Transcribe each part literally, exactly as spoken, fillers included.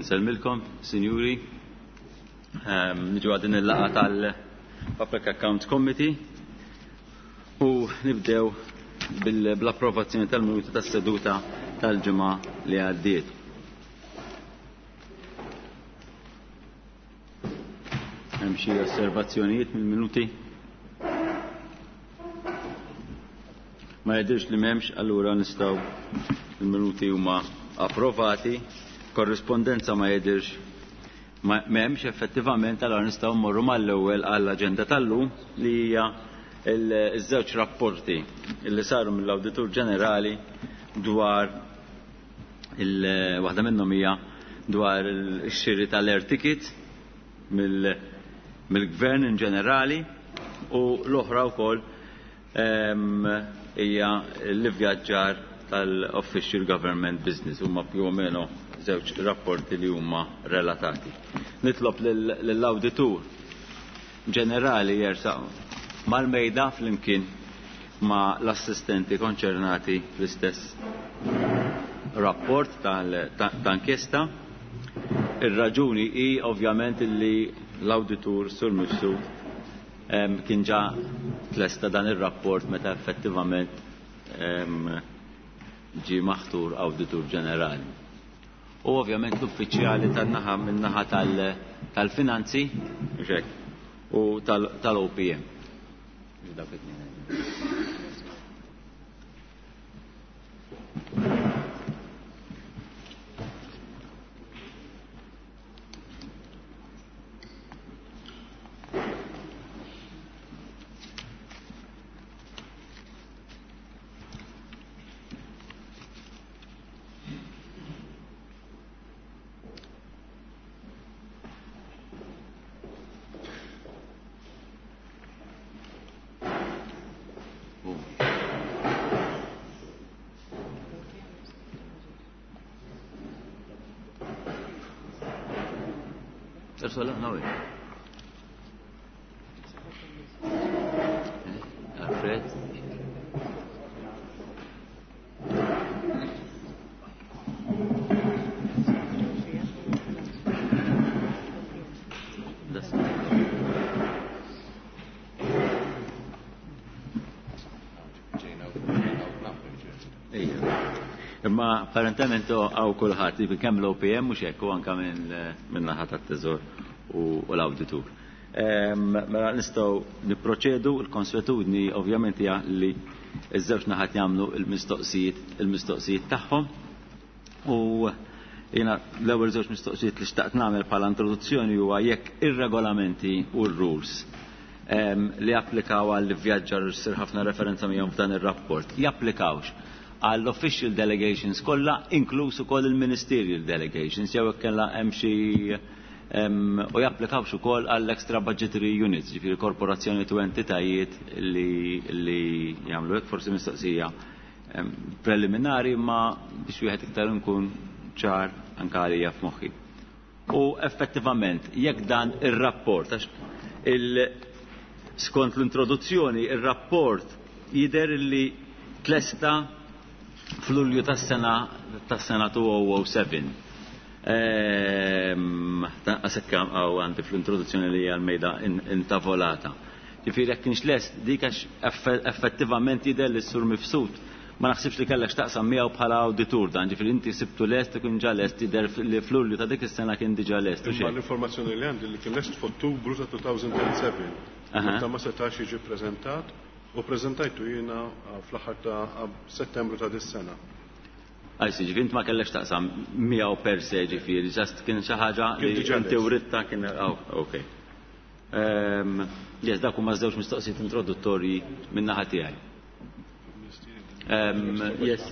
Nsellmilkom, sinjuri. Ehm, niġu għal din il-laqgħa tal-Public Account Committee u nibdew bl-approvazzjoni tal-minuti tas-seduta tal-ġimgħa li għaddiet. Hemm xi osservazzjonijiet mill-minuti? Ma jidhirx li m'hemmx, allura nistgħu il-minuti huma approvati. Korrispondenza ma jidhirx m'hemmx effettivament, allura nistgħu mmorru mal-ewwel għall-aġenda tal-lum li hija iż-żewġ rapporti li saru mill-Awditur Ġenerali dwar il waħda minnhom hija dwar ix-xiri tal-air ticket mill-gvern in ġenerali u l-oħra wkoll hija l-ivvjaġġar tal-Official Government Business, huma più o meno żewġ rapporti li huma relatati. Nitlob lill-Awditur Ġenerali jersaq mal-mejda flimkien ma' l-assistenti konċernati fl-istess rapport ta' inkjesta. Ir-raġuni hi ovvjament li l-awditur Sur Mifsud kien ġa tlesta dan ir-rapport meta effettivament ġie maħtur Awditur Ġenerali. U ovvjament l-uffiċjali tan-naħa min-naħa tal-finanzi u tal-O P M. Imma apparentement għaw kulħadd, jiġifieri kemm l-O P M mhux hekk, u anke minn naħa tat-Teżor u l-Awditur. Mela nistgħu nipproċedu. Il-konswetudni ovvjament hija li ż-żewġ naħat jagħmlu l-mistoqsijiet, il-mistoqsijiet tagħhom. U jiena l-ewwel żewġ mistoqsijiet li xtaqt nagħmel bħala introduzzjoni huwa jekk ir-regolamenti u r-rules li applikaw għall-vjaġġar u ssir ħafna referenza miegħhom f'dan ir-rapport, japplikawx għall-official delegations kollha, inkluż ukoll il-ministerial delegations, jew hekk kellha hemm xi u japplikawx ukoll għall-extra budgetary units, ġifieri korporazzjoni u entitajiet li, li jagħmlu hekk. Forsi mistoqsija preliminari, ma biex wieħed iktar nkun ċar anke għalija f'moħħi. U effettivament jekk dan ir-rapport, għax il skont l-introduzzjoni, ir-rapport jidher li tlesta f'Lulju tas-sena tas-sena two oh seven. Ehm, tanqas hekk hawn għandi fl-introduzzjoni li hija l-mejda intavolata. Ġifieri jekk kienx lest dik għax effettivament jidher li s-Sur Mifsud ma naħsibx li kellek x'taqsam miegħu bħala awditur dan, ġifieri inti sibtu lest ikun ġa lest, jidher li f'Lulju ta' dik is-sena kien diġà lest, u Imma xejn. l-informazzjoni li għandi li kien lest f'Ottubru ta' two thousand and seven. Aha. Meta ma setax jiġi ppreżentat, u ppreżentajtu jiena fl-aħħar ta' Settembru ta' dis-sena. Għajsi, ġifieri inti ma kellekx taqsam miegħu per se, ġifieri, ġast kien xi ħaġa Kien li diġà inti lest. writta kien, oh, ok. Ehm, yes, dak huma żewġ mistoqsijiet introduttorji min-naħa tiegħi. Ehm, yes.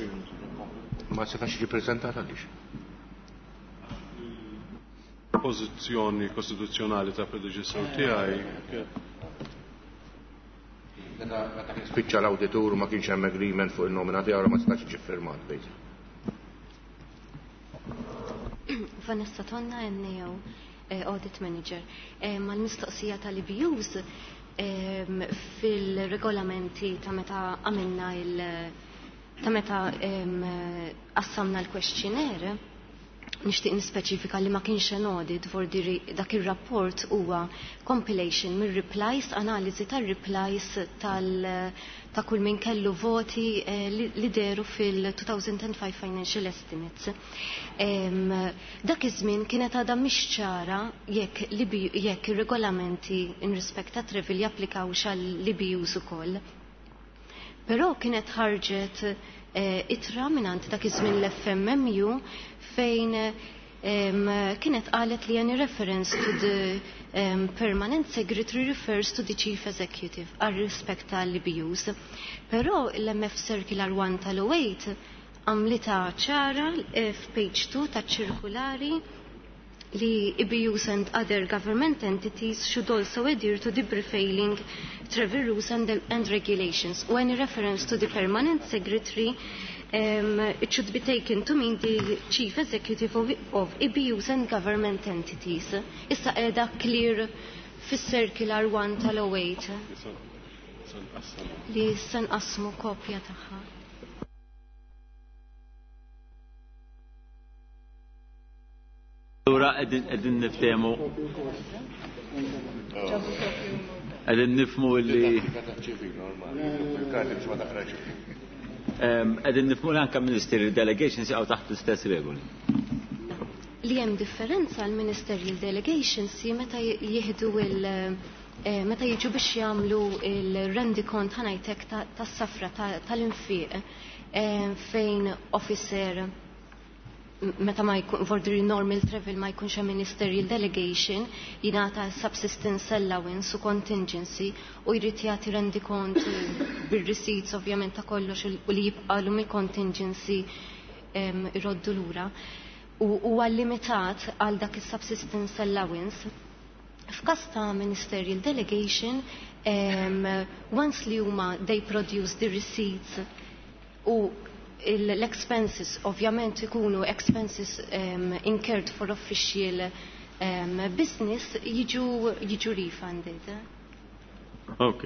Ma setax jiġi ppreżentat għaliex? Pożizzjoni kostituzzjonali ta' predeċessur tiegħi. Meta kien spiċċa l-awditur ma kienx hemm agreement fuq il-nomina tiegħu, ma setax jiġi ffirmat, basically. Vanessa Tonna, N A O, eh, Audit Manager. Eh, mal-mistoqsija tal-I B Us, ehm, fil-regolamenti ta' meta għamilna il-, ta' meta, ehm, qassamna l-questionnaire, Nixtieq nispeċifika li ma kienx an audit, vordi dak ir-rapport huwa compilation mir-replies, analiżi tar-replies tal ta' kull min kellu voti eh, li, li deru fil-two thousand five financial estimates. Em, dak iż-żmien kienet għadha mhix ċara jekk jekk ir-regolamenti in respect ta' travel japplikawx għall-E B Us ukoll. Però kienet ħarġet eh, ittra mingħand dak iż-żmien l-F M M U fejn um, kienet qalet li any reference to the um, permanent secretary refers to the chief executive għal rispett tal-E B Us. Però l-M F Circular one tal-eight għamlitha ċara eh, f'page two ta' ċirkulari li E B Us and other government entities should also adhere to the prevailing travel rules and, and regulations. U any reference to the permanent secretary, um, it should be taken to mean the chief executive of, of E B Us and government entities. Issa qiegħda clear fis-circular one tal-eight li issa nqassmu kopja tagħha. Allura qegħdin niftehmu, qegħdin nifhmu li qegħdin nifhmu li anke ministerial delegations jaqgħu taħt l-istess regoli. Li hemm differenza għal ministerial delegations hi meta jieħdu il- eh, meta jiġu biex jagħmlu il-rendikont, ħa ngħidlek, tas-safra tal-infiq eh, fejn officer meta ma jkun for the normal travel ma jkunx hemm ministerial delegation jingħata subsistence allowance u contingency u jrid jagħti rendikont bir-receipts ovvjament ta' kollox u li jibqalu mill-contingency iroddu lura. U huwa limitat għal dak is-subsistence allowance. F'każ ta' ministerial delegation, um, once li huma they produce the receipts u l-expenses ovvjament ikunu expenses um, incurred for official um, business, jiġu, jiġu refunded. Ok.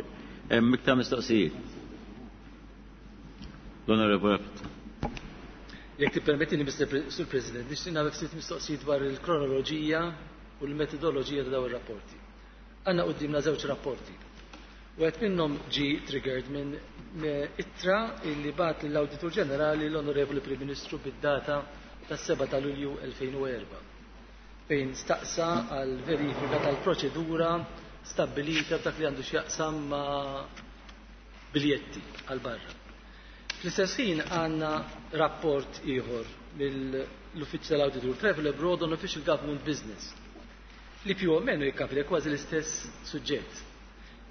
Iktar mistoqsijiet? L-Onorevole. Jekk tippermettini, Mister Sur President, nixtieq nagħmel ftit mistoqsijiet dwar il-kronoloġija u l-metodoloġija ta' dawn ir-rapporti. Għandna quddiemna żewġ rapporti. Wieħed minnhom ġi triggered minn ittra illi bagħat lill-Awditur Ġenerali l-Onorevoli Prim Ministru bid-data tas-seba' ta' Lulju elfejn u erbgħa fejn staqsa għal verifika tal-proċedura stabbilita b'dak li għandu x'jaqsam ma' biljetti għal barra. Fl-istess ħin għandna rapport ieħor mill-Uffiċċju tal-Awditur, Travel Abroad on Official Government Business, li più o meno jikkopri kważi l-istess suġġett.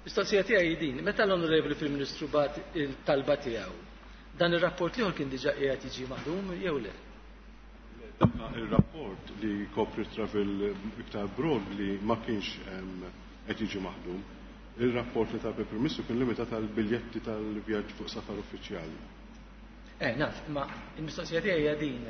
Mistoqsija tiegħi din, meta l-Onorevoli Prim Ministru bagħat il-talba tiegħu, dan ir-rapport l-ieħor kien diġà qiegħed jiġi maħdum jew le? Il-rapport li kopri travel iktar broad li ma kienx qed jiġi maħdum. Il-rapport li ta' Prim Ministru kien limitat għal biljetti tal-vjaġġ fuq safar uffiċjali. Eh, naf, ma il-mistoqsija tiegħi hija din.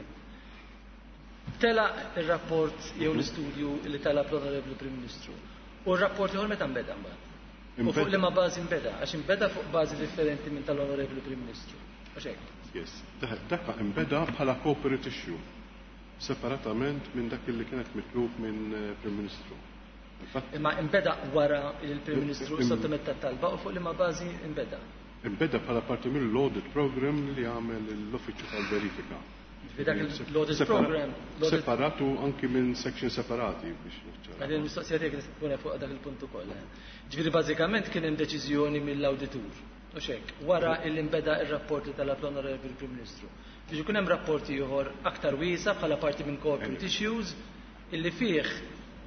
Tela il-rapport jew l-istudju li talab l-Onorevoli Prim Ministru. U r-rapport ieħor meta nbeda mbagħad? U fuq liema bażi nbeda? Għax inbeda fuq bażi differenti minn tal-Onorevoli Prim Ministru. Għax hekk. Yes, dak imbeda bħala corporate issue, separatament minn dak li kienet mitlub minn eh, Prim Ministru. Imma imbeda wara il-Prim Ministru sottometta talba u fuq liema bażi imbeda? Imbeda bħala parti mill-audit program li għamel l-Uffiċċju tal-Verifika. Dak l-audit program. Separatu anki minn section separati biex. Għadin il-mistoqsija tiegħek tkun fuq dak il-punt ukoll. Eh. Ġifieri bażikament kien hemm deċiżjoni mill-awditur. U hekk, wara il imbeda ir-rapporti tal-Onorevoli Prim Ministru, biex ikun hemm rapporti ieħor aktar wiesa bħala parti minn corporate issues illi fih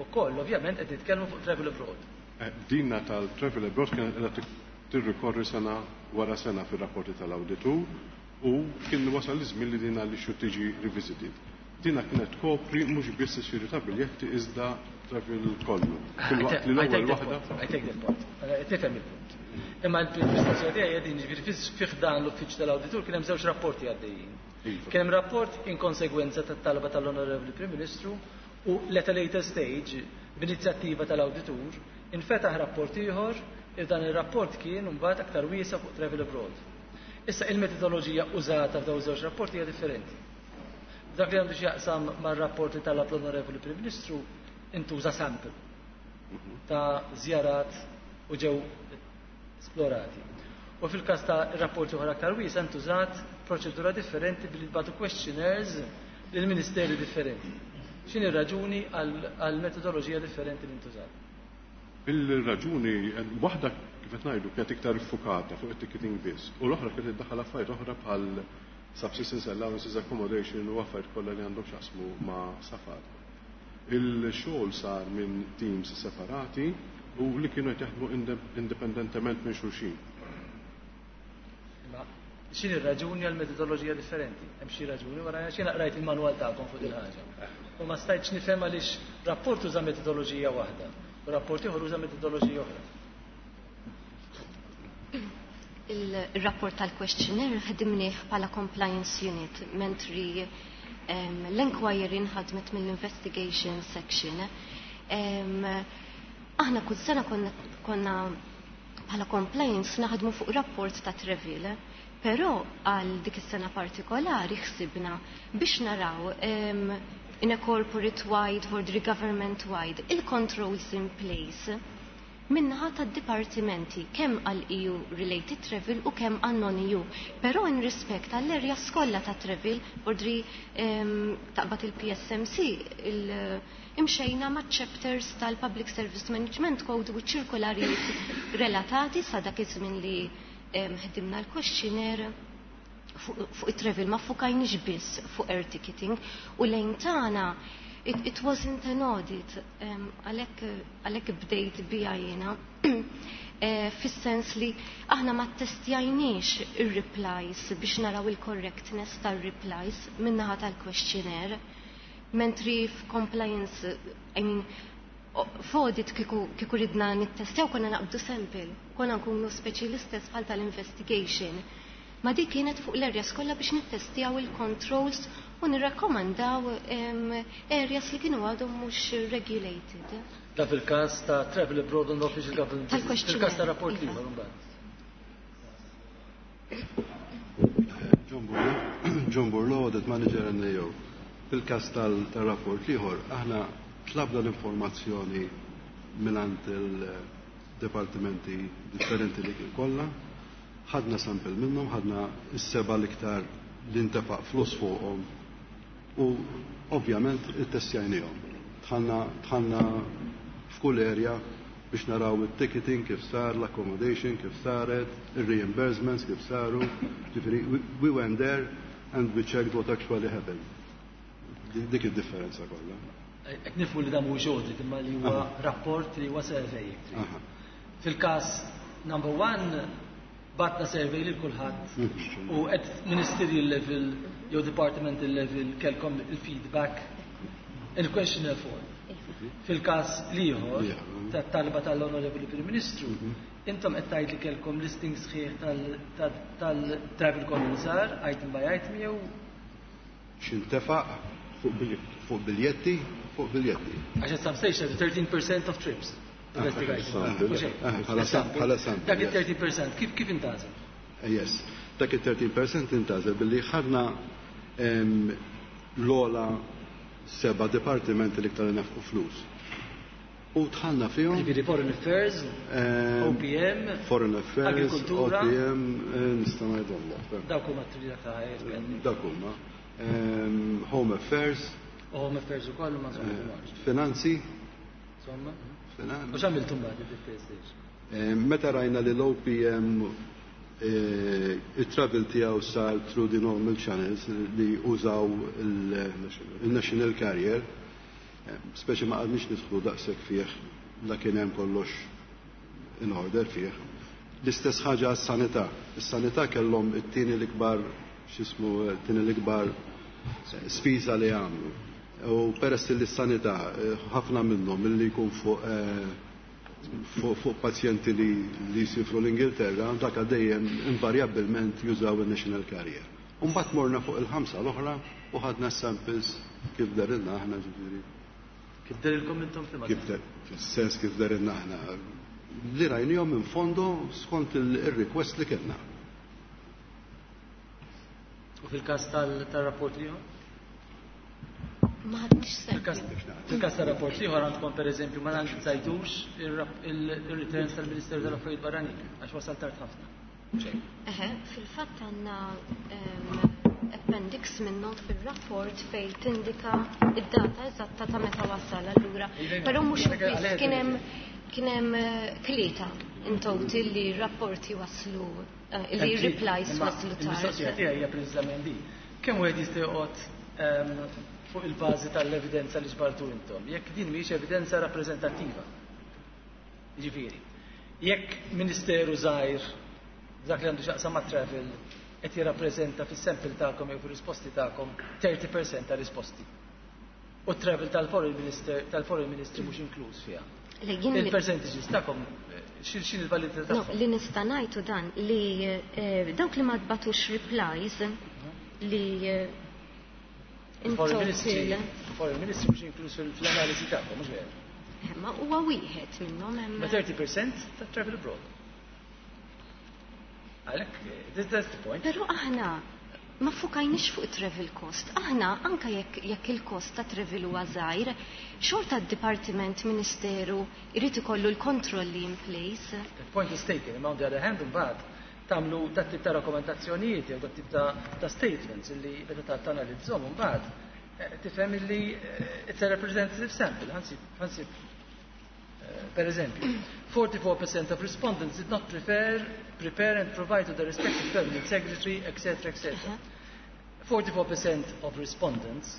ukoll ovvjament qed nitkellmu fuq travel abroad. Eh, dinna tal-travel abroad kienet qiegħda tirrikorri sena wara sena fir-rapporti tal-awditur u kien wasal iż-żmien li dina li xu tiġi revisited. Dina kienet kopri mhux biss ix-xiri ta' biljetti iżda travel kollu. Filwaqt li l-ewwel waħda. I take that point. Tifhem il-punt. Imma l-mistoqsija tiegħi din, ġifieri fih dan l-uffiċċju tal-awditur kien hemm żewġ rapporti għaddejjin. Iva. Kien hemm rapport in konsegwenza tat-talba tal-Onorevoli Prim Ministru u at a later stage, b'inizjattiva tal-awditur, infetaħ rapport ieħor il dan ir-rapport kien mbagħad aktar wiesa fuq travel abroad. Issa il-metodoloġija użata f'dawn żewġ rapporti hija differenti. Dak li għandu x'jaqsam mar-rapport li talab l-Onorevoli Prim Ministru intuża sample ta' żjarat u ġew esplorati. U fil-każ ta' rapporti oħra aktar wiesa' intużat proċedura differenti billi tbagħtu questionnaires lil ministeri differenti. X'inhi r-raġuni għal metodoloġija differenti li ntużat? Il-raġuni, waħda kif qed ngħidu kienet iktar iffukata fuq it-ticketing biss, u l-oħra kienet iddaħħal affarijiet oħra bħal subsistence allowances, accommodation u affarijiet kollha li għandhom x'jaqsmu ma' safar. Il-xogħol sar minn teams separati u li kienu qed jaħdmu indipendentement minn xulxin. Imma x'inhi r-raġuni għal metodoloġija differenti? Hemm xi raġuni wara xi qrajt il-manwal tagħkom fuq il-ħaġa. U ma stajtx nifhem għaliex rapport uża metodoloġija waħda u rapport ieħor uża metodoloġija oħra. Il-rapport tal-questionnaire ħdimnieh bħala compliance unit, mentri l-inquiry nħadmet mill-investigation section. Aħna kull sena konna, konna bħala compliance naħdmu fuq rapport ta' travel, però għal dik is-sena partikolari ħsibna biex naraw um, in a corporate wide, for the government wide, il-controls in place min-naħa tad-dipartimenti kemm għal E U related travel u kemm għal non-E U. Però in respect għall-area kollha ta' travel, ordri um, taqbad il-P S M C, il imxejna ma' chapters tal-Public Service Management Code u ċirkolarijiet relatati sa dak iż-żmien li ħdimna l-questionnaire fuq it-travel, ma fukajniex biss fuq air ticketing u lejn tagħna it, it wasn't an audit, għalhekk bdejt bija jiena, eh, fis-sens li aħna ma testjajniex ir-replies biex naraw il-correctness tal-replies min-naħa tal-questionnaire, mentri f'compliance, I mean, f'audit kieku kieku ridna nittestjaw konna naqbdu sample, konna nkunu speċi l-istess bħal tal-investigation. Ma dik kienet fuq l-areas kollha biex nittestjaw il-controls u nirrakkomandaw areas li kienu għadhom mhux regulated. Da fil-każ ta' travel abroad on official government. Fil-każ ta' rapport iva. Ieħor mbagħad. John Burlo, John Burlo, Audit Manager N A O. Fil-każ tal-rapport l-ieħor, aħna tlabna l-informazzjoni mingħand il-departimenti differenti li kien kollha, ħadna sample minnhom, ħadna s-seba l-iktar li ntefaq flus fuqhom u ovvjament ittestjajnihom. Dħalna dħalna f'kull area biex naraw il-ticketing kif sar, l-accommodation kif saret, il-reimbursements kif saru. Ġifieri, we went there and we checked what actually happened. Dik id-differenza kollha. Qed nifhmu li dan mhuwiex audit imma li huwa rapport li huwa survey. Fil-każ number one bgħatna survey lil kulħadd u at ministerial level jew departmental level kellkom il-feedback in questionnaire form. Fil-każ l-ieħor tat-talba tal-Onorevoli Prim Ministru, intom qed tgħid li kellkom listing sħiħ tal-travel kollu li sar, item by item, jew X'intefaq fuq biljetti, fuq biljetti. Għax at some stage thirteen percent of trips. Bħala sample. Dak il-thirteen percent, kif kif intgħażel? Yes, dak il-thirteen percent intgħażel billi ħadna l-ogħla seba' departimenti li iktar nefqu flus. U dħalna fihom. Ġifieri Foreign Affairs, O P M, Foreign Affairs, Agrikultura. O P M, nista' ngħidhom. Dawk huma t-trija ta' Dawk huma. Home Affairs. Home Affairs ukoll ma insomma. Finanzi. Insomma. U x'għamiltu mbagħad id-stage? Meta rajna li l-O P M il-travel tiegħu sar through the normal channels li użaw il-national carrier, speċi ma qgħadniex nidħlu daqshekk fih, la kien hemm kollox in order fih. L-istess ħaġa għas-sanità. Is-sanità kellhom it-tieni l-ikbar, x'ismu, it-tieni l-ikbar spiża li għamlu. U peress li s-sanità ħafna minnhom milli jkun fuq fuq pazjenti li li jsifru l-Ingilterra, dak dejjem invarjabilment jużaw il-national carrier. Umbagħad morna fuq il-ħamsa l-oħra u ħadna samples kif dehrilna aħna, ġifieri. Kif dehrilkom intom fil Kif der, fil-sens kif dehrilna aħna. Li rajnihom minn fondo skont il-request li kellna. U fil-każ tal-rapport li Ma ħadniex sample. Fil-każ ta' rapport ieħor għandkom, pereżempju, ma analizzajtux ir-returns tal-Ministeru tal-Affarijiet Barranin għax wasal tard ħafna. Eħe, fil-fatt għandna appendix minnhom fil-rapport fej tindika id-data eżatta ta' meta wasal allura. Però mhux biss, kien hemm kien hemm tlieta in total li rapporti waslu, li replies waslu tard. Il-mistoqsija tiegħi hija preċiżament di. Kemm wieħed jista' joqgħod fuq il-bażi tal-evidenza li ġbartu intom, jekk din mhijiex evidenza rappreżentattiva? Ġifieri, jekk ministeru żgħir, dak li għandu x'jaqsam ma' travel, qed jirrappreżenta fis-sample tagħkom jew fir-risposti tagħkom tletin fil-mija ta' risposti. U travel tal-foreign minister tal-foreign ministry mhux inkluż fiha. Il-percentages tagħkom x'in il-validità tagħhom? Li nista' ngħidu dan li dawk li ma tbatux replies li Foreign Ministry, Foreign Ministry mhux inkluż fl-analiżi tagħkom, mhux veru? Ma huwa wieħed minnhom hemm. Ma tletin fil-mija ta' travel abroad. Għalhekk, that's the point. Però aħna ma fukajniex fuq travel cost. Aħna anka jekk jekk il-cost ta' travel huwa żgħir, xorta d-dipartiment, ministeru jrid ikollu l-kontrolli in place. The point is taken, imma on the other hand, mbagħad tagħmlu dat tip ta' rakkomandazzjonijiet jew dat tip ta', ta statements illi meta ta' tanalizzhom mbagħad tifhem illi it's a representative sample. Ħansib, ħansib per eżempju, forty-four percent of respondents did not prefer, prepare and provide to the respective permanent secretary, et cetera, et cetera. forty-four percent of respondents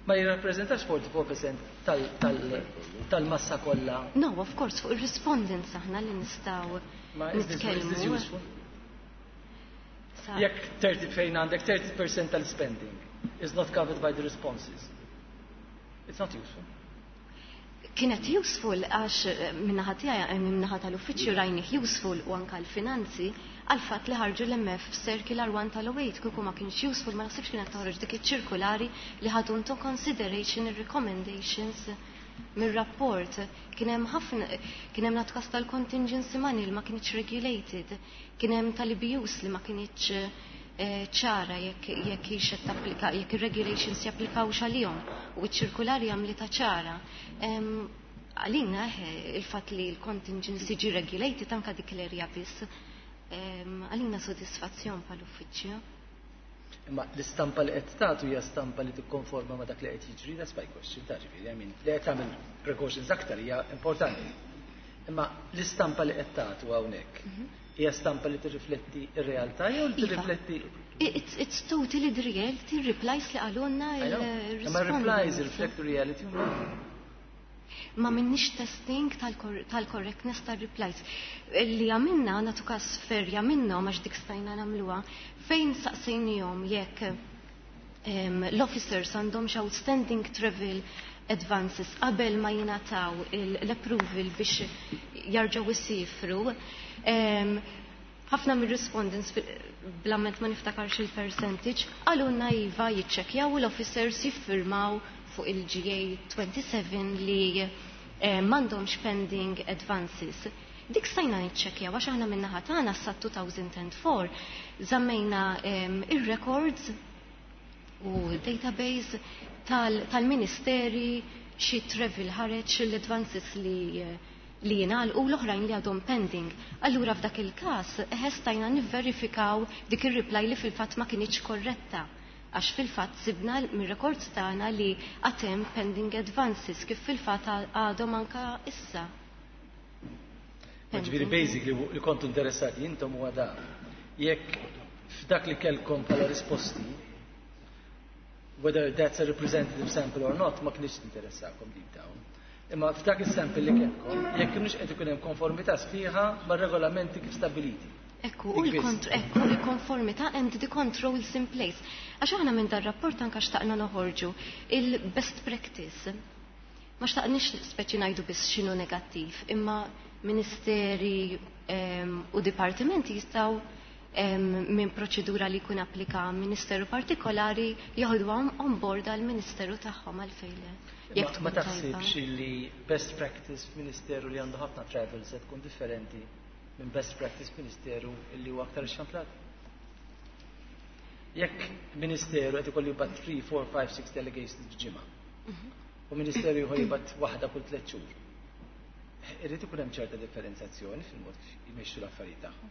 ma jirrappreżentax forty-four percent tal-massa kollha. No, of course, fuq il-respondents aħna li nistgħu nitkellmu. Jekk thirty fejn għandek thirty percent tal-spending is not covered by the responses. It's not useful. Kienet useful għax min-naħa tiegħi, min-naħa tal-uffiċċju, rajnih useful u anka l-finanzi għal fatt li ħarġu l-M F Circular one tal-eight. Kieku ma kienx useful, ma naħsibx kienet toħroġ dik iċ-ċirkulari li ħadu into consideration ir-recommendations mir-rapport. Kien hemm ħafna, kien hemm natkas tal-contingency money li ma kienx regulated, kien hemm tal-E B Us li ma kienx ċara jekk jekk hix qed tapplika, jekk ir-regulations japplikawx għalihom, u ċ-ċirkulari għamlitha ċara. Għalina il-fatt li l-contingency ġi regulated anka dik l-area biss għalina sodisfazzjon bħal-uffiċċju. Imma l-istampa li qed tagħtu hija stampa li tikkonforma ma' dak li qed jiġri, that's my question, ta' ġifieri, I mean, li qed tagħmel precautions aktar hija importanti. Imma l-istampa li qed tagħtu hawnhekk hija stampa li tirrifletti r-realtà jew li tirrifletti It's, it's totally the reality, replies li qalulna. Imma replies reflect the reality. Ma minnix testing tal-correctness tal-replies. Li għamilna, natu kas ferja minnhom għax dik stajna nagħmluha, fejn saqsejnihom jekk l-officers għandhom outstanding travel advances qabel ma jingħataw l-approval biex jarġgħu isifru. Ħafna mir-respondents, bl-amment ma niftakarx il-percentage, qalulna iva, jiċċekjaw, l-officers jiffirmaw fuq il-G A twenty-seven li eh, m'għandhomx pending advances. Dik stajna niċċekjaw għax aħna min-naħa tagħna sa elfejn u erbgħa żammejna ir-records u database tal-ministeri, xi travel ħareġ, l-advances li li u l-oħrajn li għadhom pending. Allura f'dak il-każ stajna nivverifikaw dik ir-reply li fil-fatt ma kienx korretta għax fil-fatt sibna mir-records tagħna li għad hemm pending advances, kif fil-fatt għadhom anka issa. Ġifieri basically li kontu interessati intom huwa da. Jekk f'dak li kellkom bħala risposti, whether that's a representative sample or not, ma kienx interessakom deep down. Imma f'dak is-sample li kellkom, jekk kienx qed ikun hemm konformità sħiħa mar-regolamenti kif stabiliti. Ekku, u ekku, il-konformità and the controls in place. Għax aħna minn dar-rapport anka xtaqna noħorġu il-best practice. Ma xtaqnix speċi ngħidu biss x'inhu negattiv, imma ministeri um, u dipartimenti jistgħu um, minn proċedura li jkun applika ministeru partikolari joħduhom on board għal ministeru tagħhom, għalfejn. Jekk ma taħsibx li best practice f'ministeru li għandu ħafna travel se tkun differenti minn best practice ministeru li huwa aktar ixxamplat? Jekk ministeru qed ikollu jibgħat three, four, five, six delegations f'ġimgħa. U ministeru ieħor jibgħat waħda kull tliet xhur. Irrid ikun hemm ċerta differenzjazzjoni fil-mod kif jmexxu l-affarijiet tagħhom.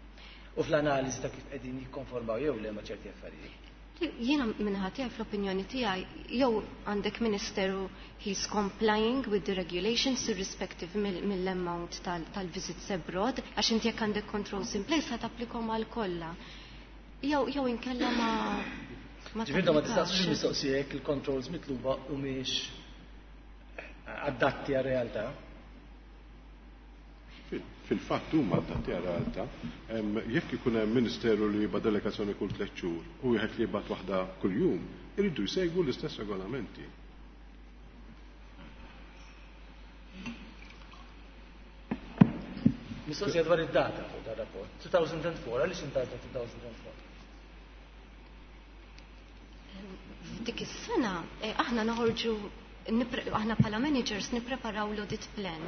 U fl-analiżi ta' kif qegħdin jikkonformaw jew le ma' ċerti affarijiet. Jiena min-naħa tiegħi, fl-opinjoni tiegħi, jew għandek ministeru he's complying with the regulations irrespective mill-amount tal-visits abroad, għax inti jekk għandek controls in place ħa tapplikhom għal kollha. Jew jew inkella ma ma Ġifieri ma tistaqsux il-mistoqsija jekk il-controls mitluba humiex adatti għar-realtà. Fil-fatt huma adatti għar-realtà. Jekk ikun hemm ministeru li jibgħat delegazzjoni kull tliet xhur u wieħed li jibgħat waħda kuljum, iridu jsegwu l-istess regolamenti. Mistoqsija dwar id-data fuq dar rapport. two thousand four, għaliex intgħażel two thousand four? F'dik is-sena eh, aħna noħorġu, aħna bħala managers nippreparaw l-audit plan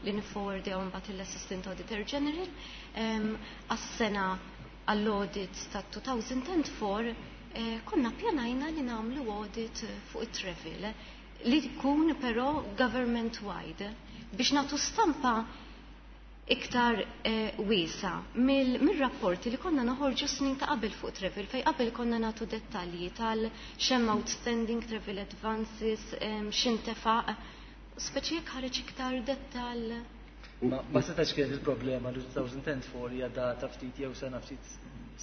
li nifforwardjaw mbagħad l-Assistant Auditor General. Għas-sena għall-audit ta' two thousand four eh, konna pjanajna li nagħmlu audit fuq it-travel li jkun però government wide biex nagħtu stampa iktar eh, wiesa mill-rapporti li konna noħorġu snin ta' qabel fuq travel, fej qabel konna nagħtu dettalji tal x'hemm outstanding travel advances, x'intefaq, speċi jekk ħareġ iktar dettal. Ma, ma setax kienet il-problema li two thousand four hija data ftit jew sena ftit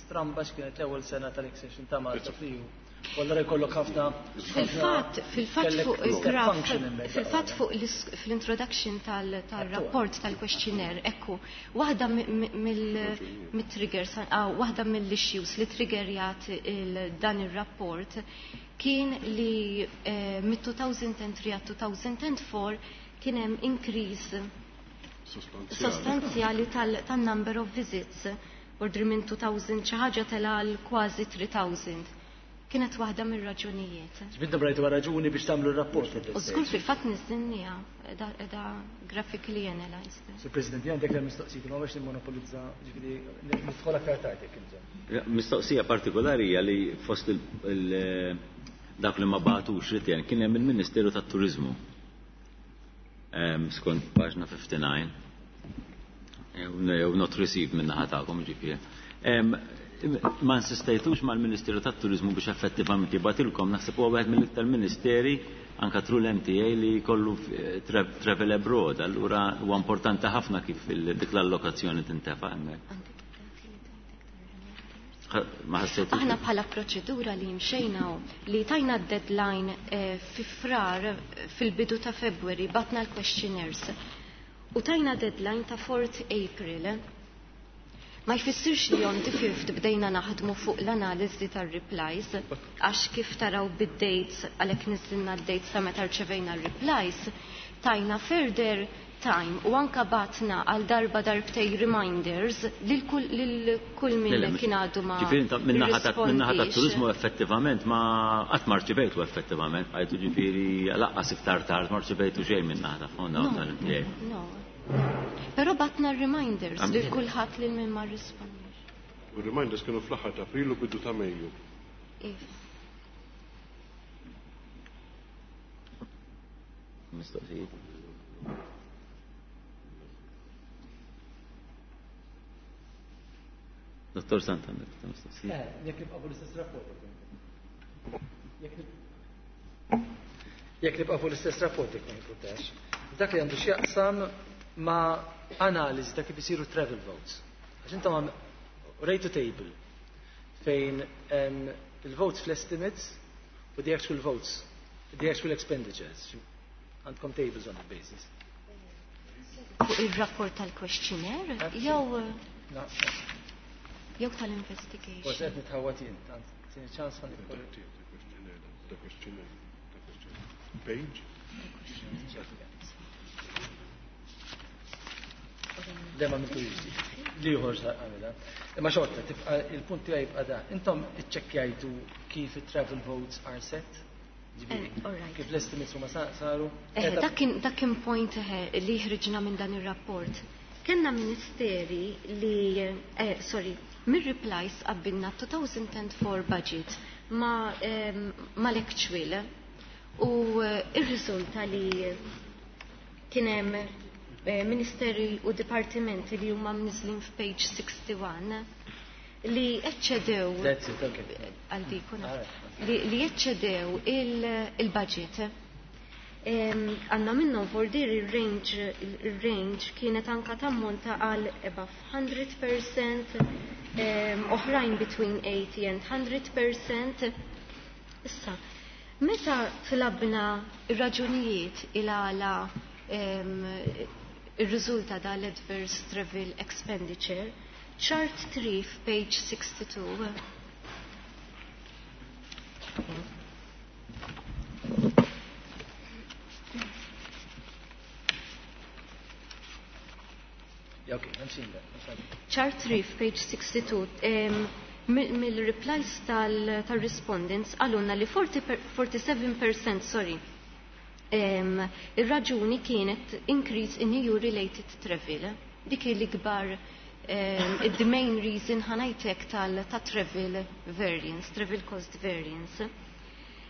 stramba, x'kienet l-ewwel sena tal-accession ta' Malta fl-E U. U allura jkollok ħafna Fil-fatt, fil-fatt fuq il-graf, fil-fatt fuq fl-introduction tal-rapport tal-questionnaire, ekku, waħda mill-triggers, waħda mill-issues li triggerjat dan il-rapport kien li eh, mid-two thousand three għal two thousand four kien hemm increase sostanzjali tal-number of visits, ordri minn two thousand xi ħaġa tela għal kważi three thousand. Kienet waħda mir-raġunijiet. Ġbidna brajtu raġuni biex tagħmlu r-rapport. U żgur fil-fatt niżżilnieha qiegħda graphically analyzed. Sur President, għandek l mistoqsijiet, ma biex nimmonopolizza, ġifieri nidħol aktar tard jekk bżonn. Mistoqsija partikolari hija li fost dak li ma bagħtux return kien hemm il-Ministeru tat-Turiżmu. Skont paġna fifty-nine. Jew not received minn naħa tagħkom, ġifieri. Ma insistejtux mal-Ministeru tat-Turizmu biex effettivament jibgħatilkom? Naħseb huwa wieħed mill-iktar ministeri anka through l-M T A li kollu travel abroad, allura huwa importanti ħafna kif dik l-allokazzjoni tintefa' hemmhekk. Ma ħassejtux? Aħna bħala proċedura li mxejna li tajna deadline eh, fi Frar, fil-bidu ta' February, bgħatna l-questionnaires. U tajna deadline ta' fourth April. Ma jfissirx li on the fifth bdejna naħdmu fuq l-analiżi tar-replies, għax kif taraw bid-dates, għalhekk niżilna d-dates sa meta rċevejna r-replies, tajna further time u anka bgħatna għal darba darbtej reminders lil kull min kien għadu ma Ġifieri min-naħa tat-turizmu effettivament ma qatt ma rċivejtu effettivament, għajtu ġifieri laqqas iktar tard ma rċivejtu xejn min-naħa ta' fonda tal-M T A. No. Però bgħatna reminders lil kulħadd, lil min ma rrispondix. U reminders kienu fl-aħħar ta' April u bidu ta' Mejju. Iva. Mistoqsijiet. Dottor Santander, mistoqsijiet. Eh, jekk nibqa' fuq l-istess rapport. Jekk nibqa' fuq l-istess rapport, jekk ma jimpurtax. Dak li għandu x'jaqsam ma' analiżi ta' kif isiru travel votes. Għax intom rejtu table fejn il-votes fl-estimates u the actual votes, the actual expenditures. Għandkom tables on the basis. Fuq il-rapport tal-questionnaire jew jew tal-investigation? Forse qed nitħawat jien, tieni ċans ħa The questionnaire. Page. Dema minn turisti. Li ieħor għamilha. Imma xorta, tibqa' il-punt tiegħi jibqa' da. Intom iċċekkjajtu kif it-travel votes are set? Ġifieri, Eh, kif l-estimates huma saru? Eh, dak kien dak kien point eh, li ħriġna minn dan ir-rapport. Kenna ministeri li, eh, sorry, mir-replies qabbilna two thousand four budget ma, eh, ma l-actual. U ir-riżulta li kien hemm ministeri u dipartimenti li huma mniżlin f'page sixty-one li eċċedew għal dik li eċċedew il-budget. Għanna minnhom for dir il-range il-range kienet anka tammonta għal above hundred percent, oħrajn between eighty and hundred percent. Issa, meta tlabna ir-raġunijiet il-għala ir-riżulta dal-adverse travel expenditure, chart three page sixty-two. Yeah, okay, I'm seeing that. Chart three, page sixty-two. Um, mill-replies tal-respondents għalunna li forty-seven percent, sorry, um, ir-raġuni kienet increase in E U-related travel. Dik l-ikbar, um, the main reason ħanajtek tal-ta' travel variance, travel cost variance.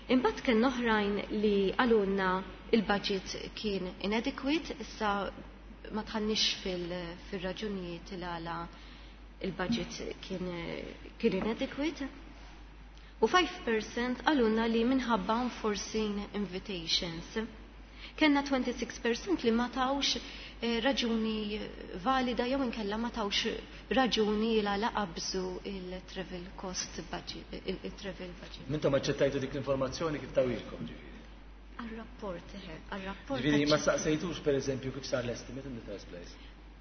Imbagħad kien oħrajn li għalunna il-budget kien inadequate, issa ma tħannix fil-raġunijiet il għala il-budget kien, kien inadequate. U five percent għalunna li minħabba unforeseen invitations. Kenna twenty-six percent li ma tawx eh, raġuni valida jew inkella ma tawx raġuni il għala qabżu il-travel cost budget, il-travel budget. Mintom aċċettajtu dik l-informazzjoni kif tawilkom ġifieri? Għal-rapport, għal-rapport. Ġifieri ma saqsejtux pereżempju kif sar l-estimate in the first place?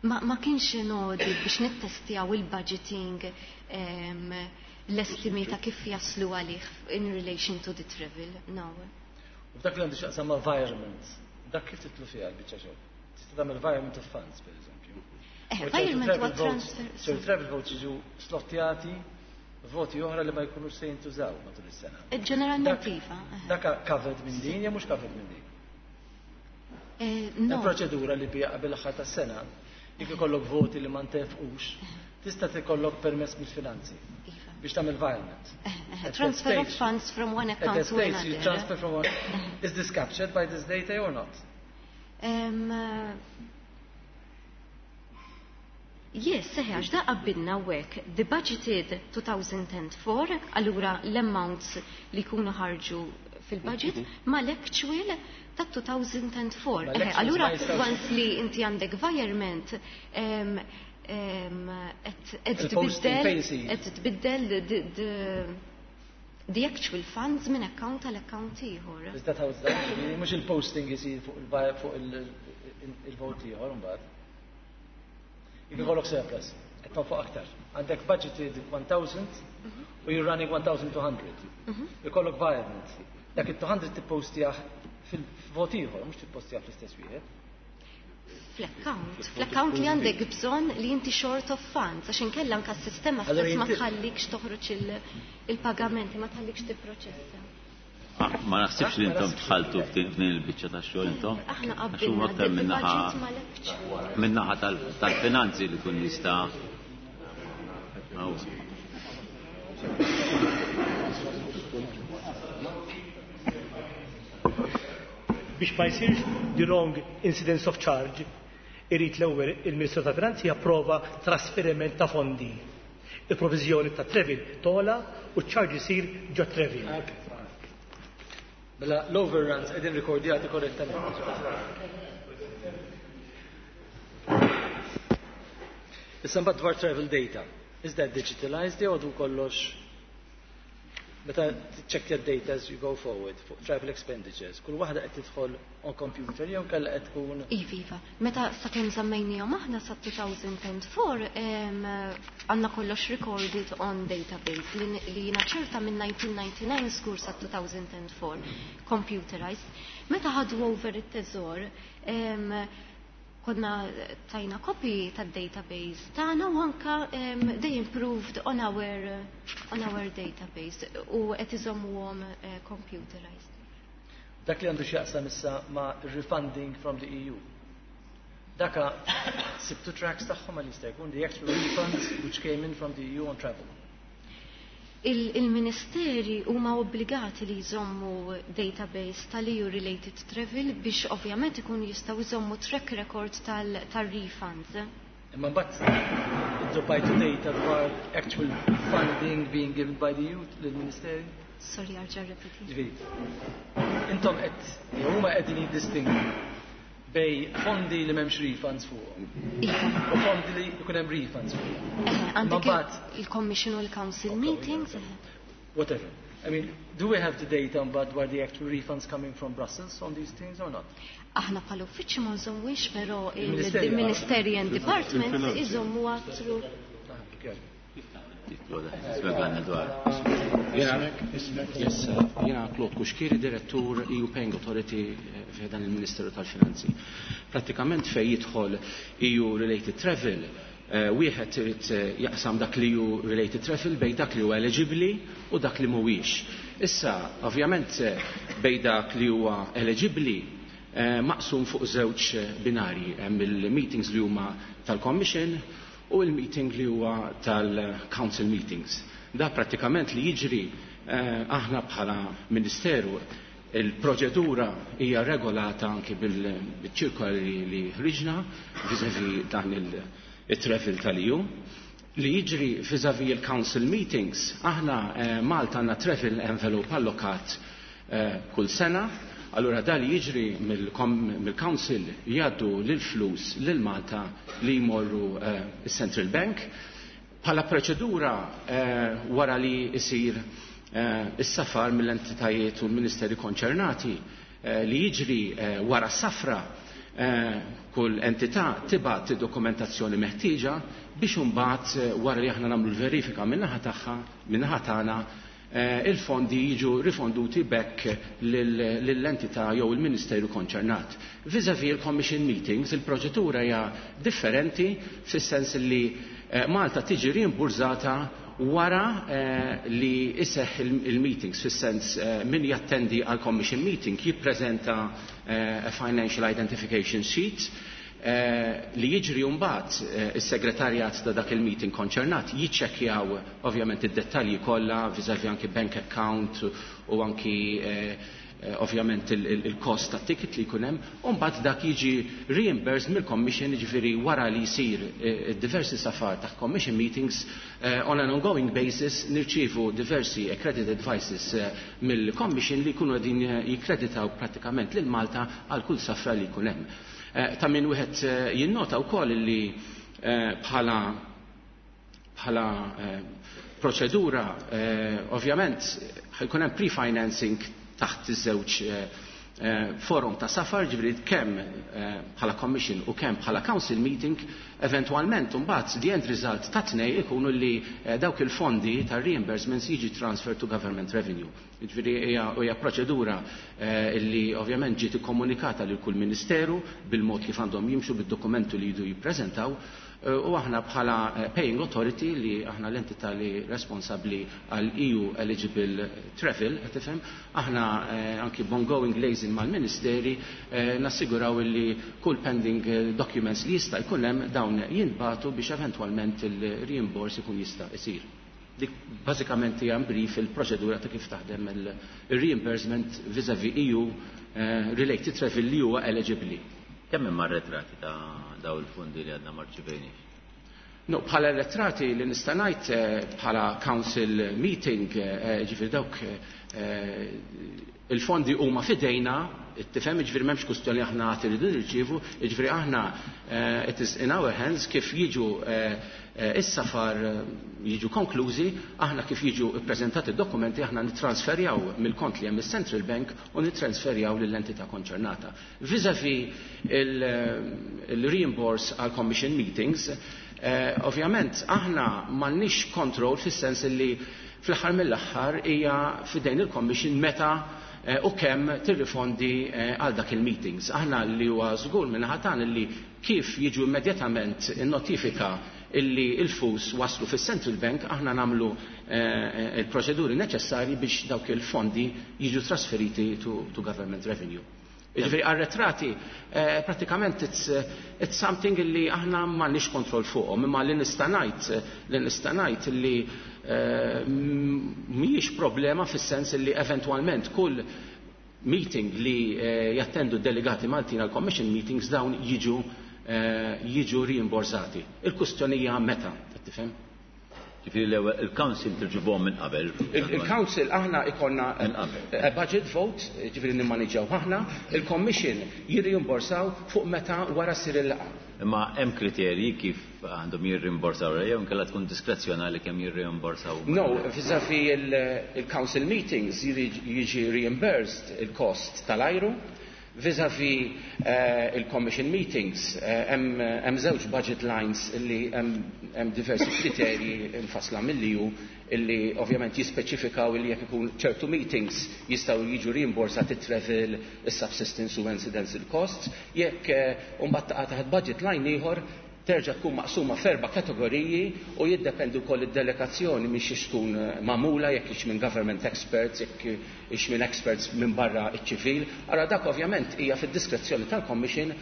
Ma, ma kienx nodi biex nittestjaw il-budgeting um, l-estimi ta' kif jaslu għalih in relation to the travel, no. U f'dak li għandu x'jaqsam ma' environment, dak kif titlu fiha l-biċċa xogħol? Tista' tagħmel environment of funds, per eżempju. Eh, environment huwa transfer. So travel votes jiġu slottjati voti oħra li ma jkunux se jintużaw matul is-sena. Ġeneralment iva. Dak covered minn din jew mhux covered minn din? No. Proċedura li bija qabel l-aħħar tas-sena, jekk ikollok voti li ma ntefqux, tista' tikollok permess mill-finanzi biex tagħmel environment. Transfer of funds from one account to another. You transfer from one. Is this captured by this data or not? Um, uh, yes, seħi, għax da qabbilna hekk. The budgeted two thousand four, allura l-amounts li jkunu ħarġu fil-budget, ma l-actual ta' two thousand four. Allura, once li inti għandek environment, qed tbiddel the actual funds minn account għal account ieħor. Is that how it's done? Mhux il-posting isir fuq il-vot ieħor imbagħad. Jekk ikollok surplus, qed tonfoq aktar. Għandek budgeted one thousand u you're running one thousand two hundred. Ikollok environment. Dak it-two hundred tippostjah fil-vot ieħor, mhux tippostjah fl-istess wieħed. Fl-account, fl-account li għandek bżonn li inti short of funds, għax inkella anke s-sistema stess ma tħallikx toħroġ il-pagamenti, ma tħallikx tipproċessa. Ma naħsibx li intom tħaltu f'din il-biċċa tax-xogħol intom. Aħna qabbilna aktar minnaħa minnaħa tal-finanzi li kun jista' Biex ma jsirx the wrong incidence of charge, irid l-ewwel il-Ministru ta' Finanzi japprova trasferiment ta' fondi. Il-proviżjoni ta' travel tola u ċ-charge isir ġo travel. Mela l-overruns qegħdin rikordjati korrettament. Issa mbagħad dwar travel data. Is that digitalized jew għadu kollox? Meta check your data as you go forward fuq travel expenditures, kull waħda qed tidħol on computer jew kellha qed tkun Iva, iva. Meta sakemm żammejnihom aħna sa two thousand four għandna kollox recorded on database li jiena ċerta minn nineteen ninety-nine skur sa two thousand four computerized. Meta ħadu over it-teżor, konna tajna copy tad-database tagħna u anka um, they improved on our, on our database u qed iżommuhom uh, computerized. Dak li għandu x'jaqsam issa ma' refunding from the E U. Daka sibtu tracks tagħhom għal jista' jkun the actual refunds which came in from the E U on travel. Il-ministeri huma obbligati li jżommu database tal-E U related travel biex ovvjament ikunu jistgħu jżommu track record tal-refunds. Imma mbagħad iddroppajtu data dwar actual funding being given by the E U lill-ministeri? Sorry, erġa' rrepeti. Ġifieri, intom qed jew huma qegħdin jiddistingwu bejn fondi li m'hemmx refunds fuqhom Iva. u fondi li jkun hemm refunds fuqhom. Eh, għandek mbagħad- il-Commission u l-Council meetings. eh. Whatever. I mean, do we have the data mbagħad dwar the actual refunds coming from Brussels on these things or not? Aħna bħala uffiċċju ma nżommux, però Il-Ministeri il-Ministeri and Departments Il-finanzi. iżommu through. Ah, okay. Spjegana dwar. Jena, yes, jena Claude Cuschieri, direttur E U Paying Authority eh, f'dan il-Ministeru tal-Finanzi. Pratikament fej jidħol E U Related Travel, eh, wieħed irid eh, jaqsam dak li E U Related Travel bejn dak li huwa eligibbli u dak li mhuwiex. Issa, ovvjament, eh, bejn dak li huwa eligibbli eh, maqsum fuq żewġ binarji, hemm il-meetings li huma tal-Commission u il-meeting li huwa tal-Council meetings. Da pratikament li jiġri, eh, aħna bħala Ministeru, il-proċedura hija regolata anki bil-ċirkola li, li ħriġna vis-a-vis dan il-travel tal-E U. Li jiġri vis-a-vis il-Council meetings, aħna eh, Malta għandna travel envelope allokat eh, kull sena. Allura da li jiġri mill-Council jgħaddu l-flus lil Malta li jmorru eh, il-Central Bank. Bħala proċedura, eh, wara li jisir eh, is-safar mill-entitajiet u l-ministeri konċernati, eh, li jiġri eh, wara s-safra, eh, kull entità tibgħat dokumentazzjoni meħtieġa biex imbagħad eh, wara li aħna nagħmlu l-verifika min-naħa tagħha, min-naħa tagħna, eh, il-fondi jiġu rifonduti back lill-entità jew il-ministeru konċernat. Vis-a-vis il-Commission meetings, il-proċedura hija differenti fis-sens li eh, Malta tiġi rimburżata wara eh, li iseħ il-meetings, fis-sens eh, min jattendi għal Commission meeting jippreżenta eh, a financial identification sheet eh, li jiġri mbagħad, eh, is-segretarjat ta' dak il-meeting konċernat jiċċekkjaw ovvjament id-dettalji kollha vis-a-vis anki bank account u anki eh, eh, ovvjament il-cost ta' ticket li jkun hemm, u mbagħad dak jiġi reimbursed mill-Commission, jiġifieri wara li jsir eh, diversi safar ta' Commission meetings, eh, on an ongoing basis nirċievu diversi accredited advices eh, mill-Commission li jkunu qegħdin eh, jikkreditaw pratikament lil Malta għal kull safra li jkun hemm. Eh, ta' min wieħed eh, jinnota wkoll li eh, bħala bħala eh, proċedura, eh, ovvjament ħajkun hemm pre-financing taħt iż-żewġ eh, eh, forum ta' safar, ġifieri kemm eh, bħala Commission u kemm bħala Council meeting. Eventualment mbagħad the end result ta' tnej ikunu li eh, dawk il-fondi ta' reimbursements jiġi transfer to government revenue. Ġifieri hija hija proċedura eh, li ovvjament ġiet ikkomunikata lil kull ministeru bil-mod kif għandhom jimxu bid-dokumentu li jridu jippreżentaw, eh, u aħna bħala eh, paying authority, li aħna l-entità li responsabbli għal E U eligible travel, qed tifhem, aħna eh, anki b'ongoing liaison mal-ministeri eh, nassiguraw li kull pending eh, documents li jista' jkun hemm, dawn jintbagħtu biex eventwalment il-reimburse ikun jista' isir. Dik bażikament hija brief il-proċedura ta' kif taħdem il-reimbursement vis-a-vis E U eh, related travel li huwa eligible. Kemm hemm arretrati ta' daw il-fondi li għadna ma rċivejniex? No, bħala arretrati li nista' ngħid, eh, bħala council meeting, eh, ġifieri dawk eh, il-fondi huma fidejna, tifhem, ġifieri m'hemmx kwistjoni aħna għad iridu nirċievu, ġifieri aħna eh, it is in our hands kif jiġu eh, eh, is-safar eh, jiġu konklużi, aħna kif jiġu ppreżentati d-dokumenti aħna nittransferjaw mill-kont li hemm is-Central Bank u nittransferjaw lill-entità konċernata. Vis-a-vis il-reimburse għal Commission meetings, eh, ovvjament aħna m'għandniex control fis-sens li fl-aħħar mill-aħħar hija fidejn il-Commission meta eh, u kemm tirrifondi eh, għal dak il-meetings. Aħna li huwa żgur minn ħatan li kif jiġu immedjatament in-notifika illi il-flus waslu fis-Central Bank, aħna nagħmlu eh, il-proċeduri neċessarji biex dawk il-fondi jiġu trasferiti to, to government revenue. Ġifieri arretrati, eh, pratikament it's, eh, it's something illi aħna m'għandniex kontroll fuqhom, imma li nista' ngħid li nista' ngħid illi mhijiex problema fis-sens li eventwalment kull meeting li jattendu delegati Maltin għal commission meetings dawn jiġu jiġu rimborsati. Il-kustjoni hija meta, tifhem? Ġifieri l-ewwel il-Council tirġibuhom minn qabel. Il-Council aħna ikonna budget vote, ġifieri nimmaniġġjaw aħna, il-Commission jirrimborsaw fuq meta wara ssir il-laqgħa. Imma hemm kriterji kif għandhom jirrimborsaw jew inkella tkun diskrezzjonali kemm jirrimborsaw? No, vis-à-vis il-Council meetings jiġi reimbursed il-cost tal-ajru. Vis-à-vis il-Commission meetings, hemm żewġ budget lines illi hemm diversi kriterji mfassla mill-E U illi ovvjament jispeċifikaw illi jekk ikun ċertu meetings jistgħu jiġu rimborsati travel, is-subsistence u incidental costs, jekk mbagħad taqa' taħt budget line ieħor terġa' tkun maqsuma f'erba' kategoriji u jiddependi wkoll id-delegazzjoni minn xiex tkun magħmula, jekk hix minn government experts, jekk hix minn experts minn barra iċ-ċivil. Allora dak ovvjament hija fid-diskrezzjoni tal-Commission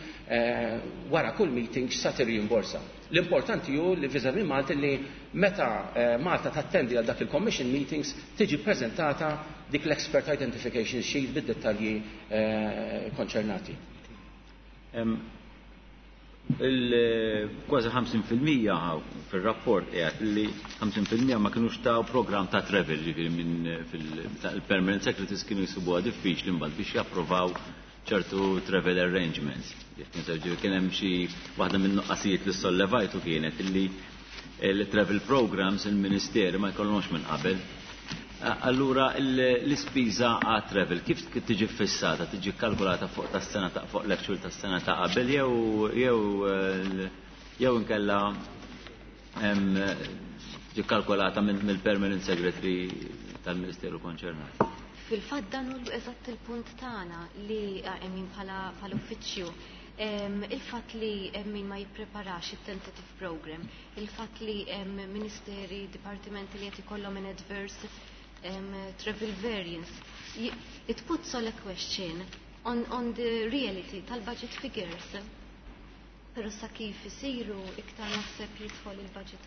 wara kull meeting x'sa tirrimborsa. L-importanti hu li vis-à-vis Malta li meta Malta tattendi għal dak il-Commission meetings tiġi preżentata dik l-expert identification sheet bid-dettalji konċernati. Il-kważi ħamsin fil-mija fil-rapport qiegħed li ħamsin fil-mija ma kinux taw program ta' travel, ġifieri minn fil-permanent secretaries kienu jsibuha diffiċli mbagħad biex japprovaw ċertu travel arrangements. Kien hemm xi waħda minn nuqqasijiet li sollevajtu kienet illi il-travel programs il-Ministeri ma jkollhomx minn qabel. Allura l-ispiża għat travel kif tiġi fissata, tiġi kalkulata fuq tas-sena ta' fuq l-actual tas-sena ta' qabel jew jew jew inkella tiġi kalkulata mill-permanent secretary tal-Ministeru konċernat? Fil-fatt dan hu eżatt il-punt tagħna li min bħala uffiċċju. Il-fatt li min ma jippreparax il-tentative program, il-fatt li ministeri, dipartimenti li qed ikollhom an adverse Um, travel variance, it puts all a question on, on the reality tal-budget figures. Pero sa kif isiru iktar naħseb jidħol il-budget.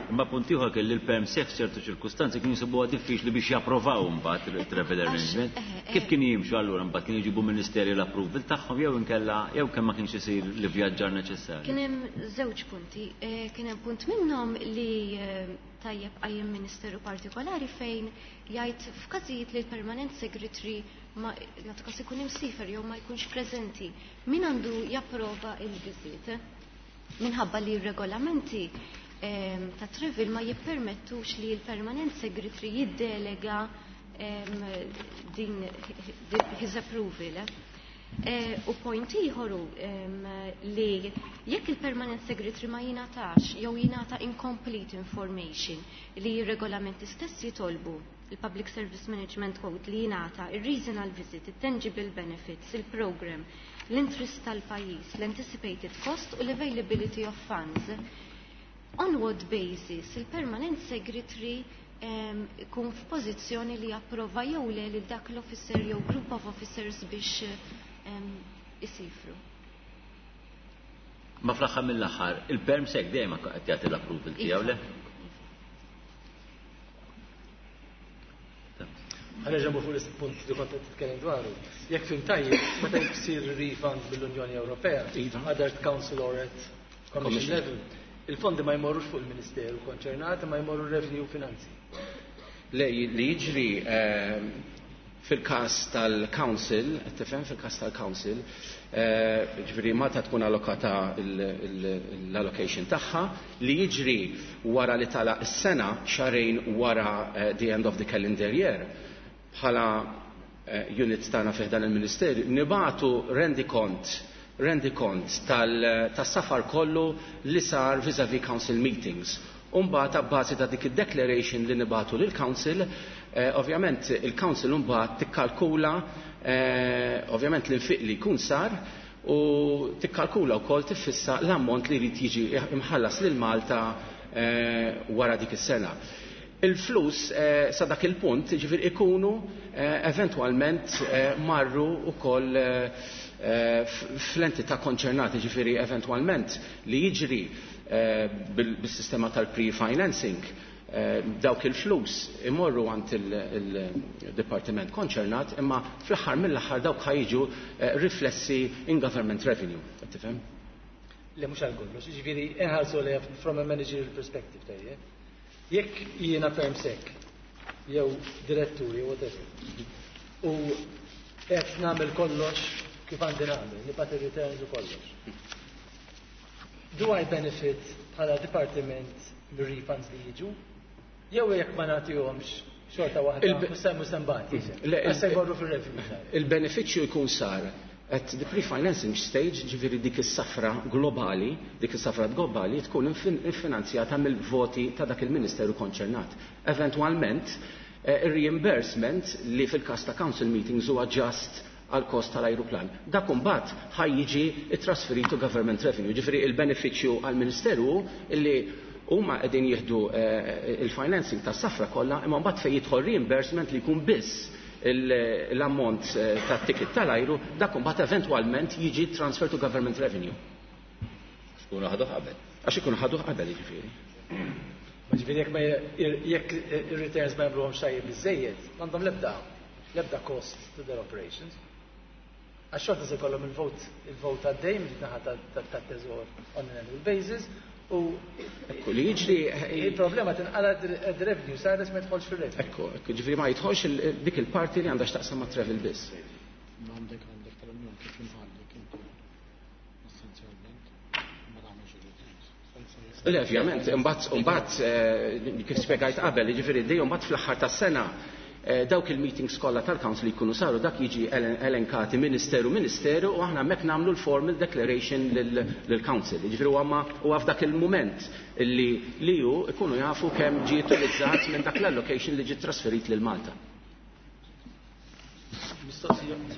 Imma punt ieħor kelli l-perm sef ċertu ċirkustanzi kienu jsibuha diffiċli biex japprovaw mbagħad il-travel arrangement. Kif kien jimxu allura mbagħad kienu jġibu ministeri l-approval tagħhom jew inkella jew kemm ma kienx isir l-vjaġġar neċessarju? Kien hemm żewġ punti. Kien hemm punt minnhom li tajjeb qajjem ministeru partikolari fejn jgħid f'każijiet li l-permanent secretary ma nagħtu każ ikun imsifer jew ma jkunx preżenti, min għandu japprova il-viżit? Minħabba li r-regolamenti ta' travel ma jippermettux li l-permanent secretary jiddelega din his approval. U point ieħor li jekk il-permanent secretary ma jingħatax jew jingħata incomplete information li r-regolamenti stess jitolbu, il-Public Service Management Code li jingħata il-reason għal visit, il-tangible benefits, il-program, l-interest tal-pajjiż, l-anticipated cost u l-availability of funds. On what basis il-permanent secretary ikun f'pożizzjoni li japprova jew le lil dak l-officer jew group of officers biex isifru. Ma fl-aħħar mill-aħħar, il-perm sec dejjem qed jagħti l-approval tiegħu le? Ħa nerġa' fuq il-punt li kont qed titkellem dwaru. Jekk fim tajjeb, meta jsir refund mill-Unjoni Ewropea, either at Council or at Commission level, il-fondi ma jmorrux fuq il-Ministeru konċernat, ma jmorru revenue finanzi. Le, li jiġri fil-kas tal-Council, tifhem fil-kas tal-Council, ġifieri Malta tkun allokata l-allocation tagħha, li jiġri wara li tala s-sena xahrejn wara the end of the calendar year, bħala unit tagħna fih dan il-Ministerju, nibatu rendikont rendikont tas-safar kollu li sar vis-a-vis council meetings. Umbagħad abbażi ta' dik id-declaration li nibatu lil council, ovvjament il-council mbagħad tikkalkula ovvjament l-infiq li jkun sar u tikkalkula wkoll tiffissa l-ammont li jrid jiġi imħallas lil Malta wara dik is-sena. Il-flus sa dak il-punt ġifier ikunu eventwalment marru wkoll fl-entità konċernati, ġifieri eventwalment li jiġri bil-sistema tal-pre-financing Dawk il-flus imorru għand il-dipartiment konċernat, imma fl-aħħar mill-aħħar dawk ħa jiġu riflessi in government revenue. Tifhem? Le mhux għal kollox, jiġifieri inħarsu li from a managerial perspective tajjeb. Jekk jiena perm sec jew direttur jew whatever, u qed nagħmel kollox kif għandi nagħmel, nibgħat ir-returns u kollox. Do I benefit bħala dipartiment mir-refunds li jiġu? Jew jekk ma nagħtihomx xorta waħda mhux se nbati. Se jmorru fir-revenue. Il-benefiċċju jkun sar at the pre-financing stage, ġifieri dik is-safra globali, dik is-safra globali tkun iffinanzjata mill-voti ta' dak il-ministeru konċernat. Eventwalment, ir-reimbursement li fil-każ ta' council meetings huwa just għal kost tal-ajruplan. Dak imbagħad ħa jiġi trasferitu government revenue. Ġifieri il-benefiċċju għall-ministeru illi huma qegħdin jieħdu il-financing tas-safra kollha, imma mbagħad fejn jidħol reimbursement li jkun biss l-ammont tat-ticket tal-ajru, dak imbagħad eventwalment jiġi transfer to government revenue. Għax ikunu ħaduh qabel. Għax ikunu ħaduh qabel, jiġifieri. Ma ġifieri jekk ma jekk ir-returns ma jagħmluhomx tajjeb biżejjed, m'għandhom l-ebda l-ebda cost to their operations. Għax xorta se jkollhom il-vot il-vot għaddej minn naħa tat-teżor on an annual basis. U ekku li jiġri il-problema tinqala d-revenue side ma jidħolx fir-revenue. Ekku, ekku ġifieri ma jidħolx dik il-parti li għandha x'taqsam ma' travel biss. Għandek għandek tal-Unjoni kif imħallek inti essenzjalment ma tagħmilx ir-returns. Le, ovvjament, imbagħad imbagħad kif spjegajt qabel, jiġifieri dejjem mbagħad fl-aħħar tas-sena dawk il-meetings kollha tal-council li jkunu saru dak jiġi elenkati ministeru ministeru u aħna hemmhekk nagħmlu l-formal declaration lill-council. Jiġifieri huwa huwa f'dak il-mument li li hu jkunu jafu kemm ġie utilizzat minn dak l-allocation li ġie trasferit lil Malta.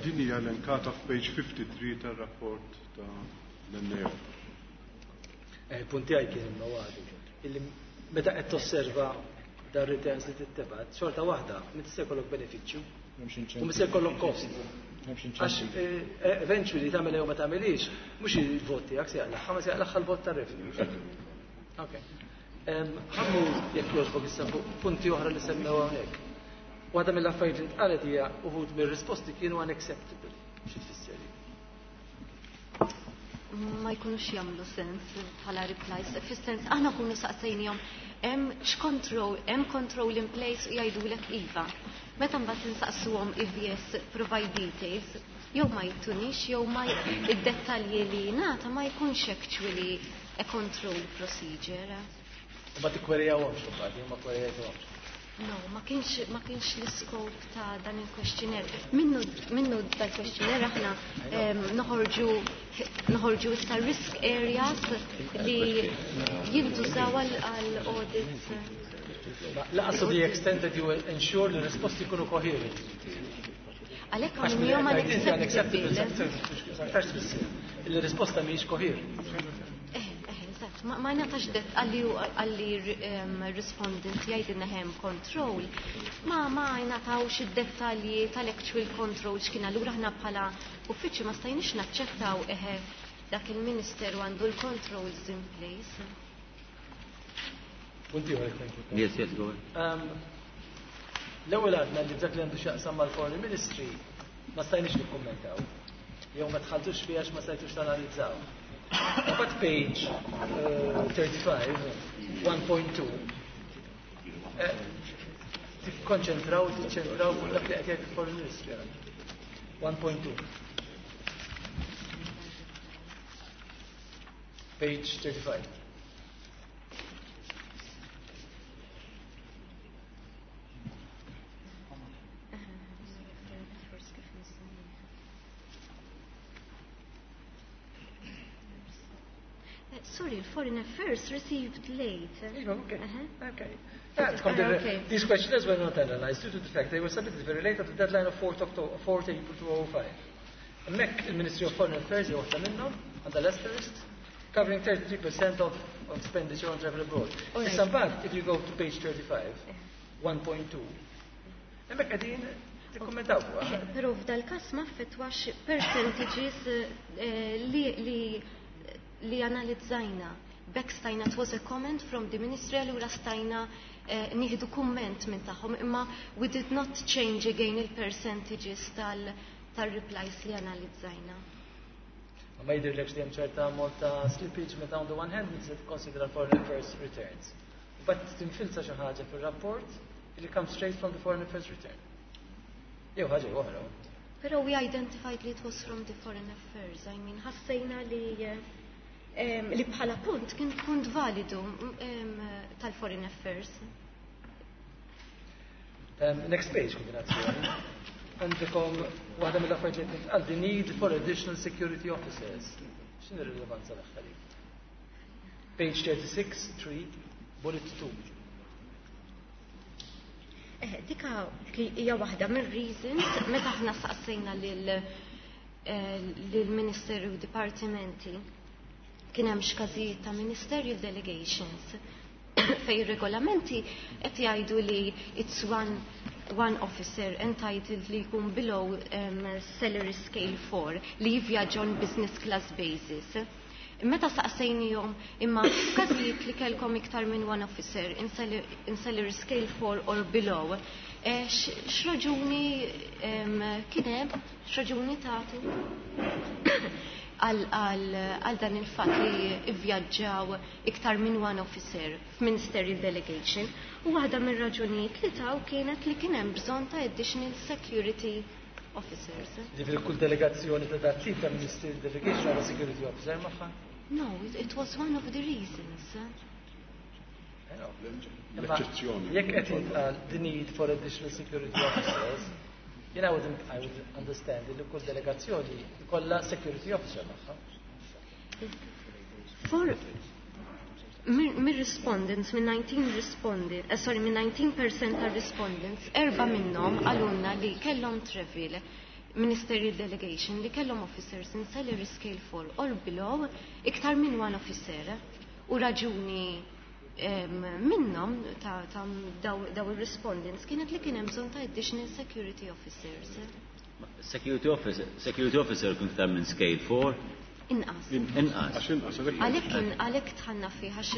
Din hija elenkata f'page fifty-three tar-rapport ta' l-N A O. Il-punt tiegħi kien imma waħdu. Illi meta qed tosserva dar returns li tittebat, xorta waħda, m'inti se jkollok benefiċċju u se jkollok cost. Għax eventually tagħmel jew ma tagħmelix, mhux il-vot tiegħek se jaqlaħħa, ma se jaqlaħħa l-vot tar-revenue. Ok. Ħammu jekk jogħġbok issa fuq punti oħra li semmew hawnhekk. Waħda mill-affarijiet li ntqalet hija uħud mir-risposti kienu unacceptable. Xi tfisser? Ma jkunux jagħmlu sens bħala replies. Fis-sens aħna kunu saqsejnihom hemm x'control, hemm control in place u jgħidulek iva. Meta mbagħad insaqsuhom if yes provide details, jew ma jtunix jew ma id-dettalji li ngħata ma jkunx actually a control procedure. U ma tikkwerjawhomx imbagħad, jew ma kkwerjajtuhomx. No, ma kienx ma kienx l-iskop ta' dan il-questionnaire. Minnu minnu dal-questionnaire aħna noħorġu noħorġu issa risk areas li jintużaw għal audits. Laqas to the extent that you ensure li risposti jkunu coherent. Għalhekk għamilhom unacceptable. Il-risposta mhijiex coherent. Ma ma natax det għalli għalli respondent jgħidilna hemm control. Ma ma ngħatawx id-dettalji tal-actual control x'kien, allura aħna bħala uffiċċju ma stajniex naċċettaw eħe dak il-ministeru għandu l-controls in place. Punti ieħor, thank you. Yes, yes, go ahead. L-ewwel għadna li dak li għandu x'jaqsam mal-Foreign Ministry ma stajniex nikkummentaw. Jew ma tħalltux fiha għax ma stajtux tanalizzaw. But page uh, thirty-five, one point two, tikkonċentraw, tiċċentraw fuq dak li qed jgħid il-Foreign Ministry. one point two. Page thirty-five. Sorry, Foreign Affairs received late. Okay. Uh-huh. Okay. Yeah, uh, okay. These questionnaires were not analyzed due to the fact they were submitted very late at the deadline of fourth October, fourth April two thousand five. Hemmhekk il-Ministry of Foreign Affairs jew waħda minnhom għandha l-asterisk covering thirty-three percent of, of expenditure on travel abroad. Right. Issa mbagħad, if you go to page thirty-five, one point two, hemmhekk qegħdin tikkummentaw fuqha. Eh, però f'dal-każ ma affettwax percentages, eh, li, li, li analizzajna. B'hekk stajna it was a comment from the ministry allura stajna eh, nieħdu kumment minn tagħhom imma we did not change again il-percentages tal tal-replies li analizzajna. Ma jidhirlekx li hemm ċerta ammont ta' slippage meta on the one hand tista' tikkonsidra foreign affairs returns. But tinfilza xi ħaġa fir-rapport li comes straight from the foreign affairs return. Jew ħaġa jew oħra. Però we identified li it was from the foreign affairs. I mean, ħassejna li eh, li bħala punt kien punt validu em, tal-foreign affairs. Um, next page, kombinazzjoni. Għandkom waħda mill-affarijiet li tintqal the need for additional security officers. X'inhi r-rilevanza tagħha dik? Page thirty-six, three, bullet two. Eh, dika hija waħda mir-reasons meta aħna saqsejna lil eh, lill-Ministeru u dipartimenti kien hemm x'każijiet ta' ministerial delegations fej regolamenti qed jgħidu li it's one one officer entitled li jkun below um, salary scale four li jivvjaġġa on business class basis. Meta saqsejnihom imma f'każijiet li kellkom iktar minn one officer in salary, in salary scale four or below, eh, x'raġuni kien hemm, x'raġuni tagħtu għal dan il-fatt li ivvjaġġaw iktar minn one officer f'ministerial delegation u waħda mir-raġunijiet li taw kienet li kien hemm bżonn ta' additional security officers. Ġifieri kull delegazzjoni ta' dat tip ta' ministerial delegation għandha security officer magħha? No, it, it was one of the reasons. L-eċċezzjoni. Jekk qed jintqal the need for additional security officers, jien I would, I would understand li kull delegazzjoni jkollha security officer magħha. For mir-respondents, minn nineteen respondents, uh, sorry, minn nineteen percent ta' respondents, erba minnhom qalulna li kellhom travel ministerial delegation li kellhom officers in salary scale four or below iktar minn one officer u raġuni um, minnhom ta', ta daw, daw il-respondents kienet li kien hemm bżonn ta' additional security officers. Security officer, security officer kun iktar minn scale four? Inqas. Inqas. Għax inqas, għalhekk. Għalhekk kien għalhekk dħalna fih għax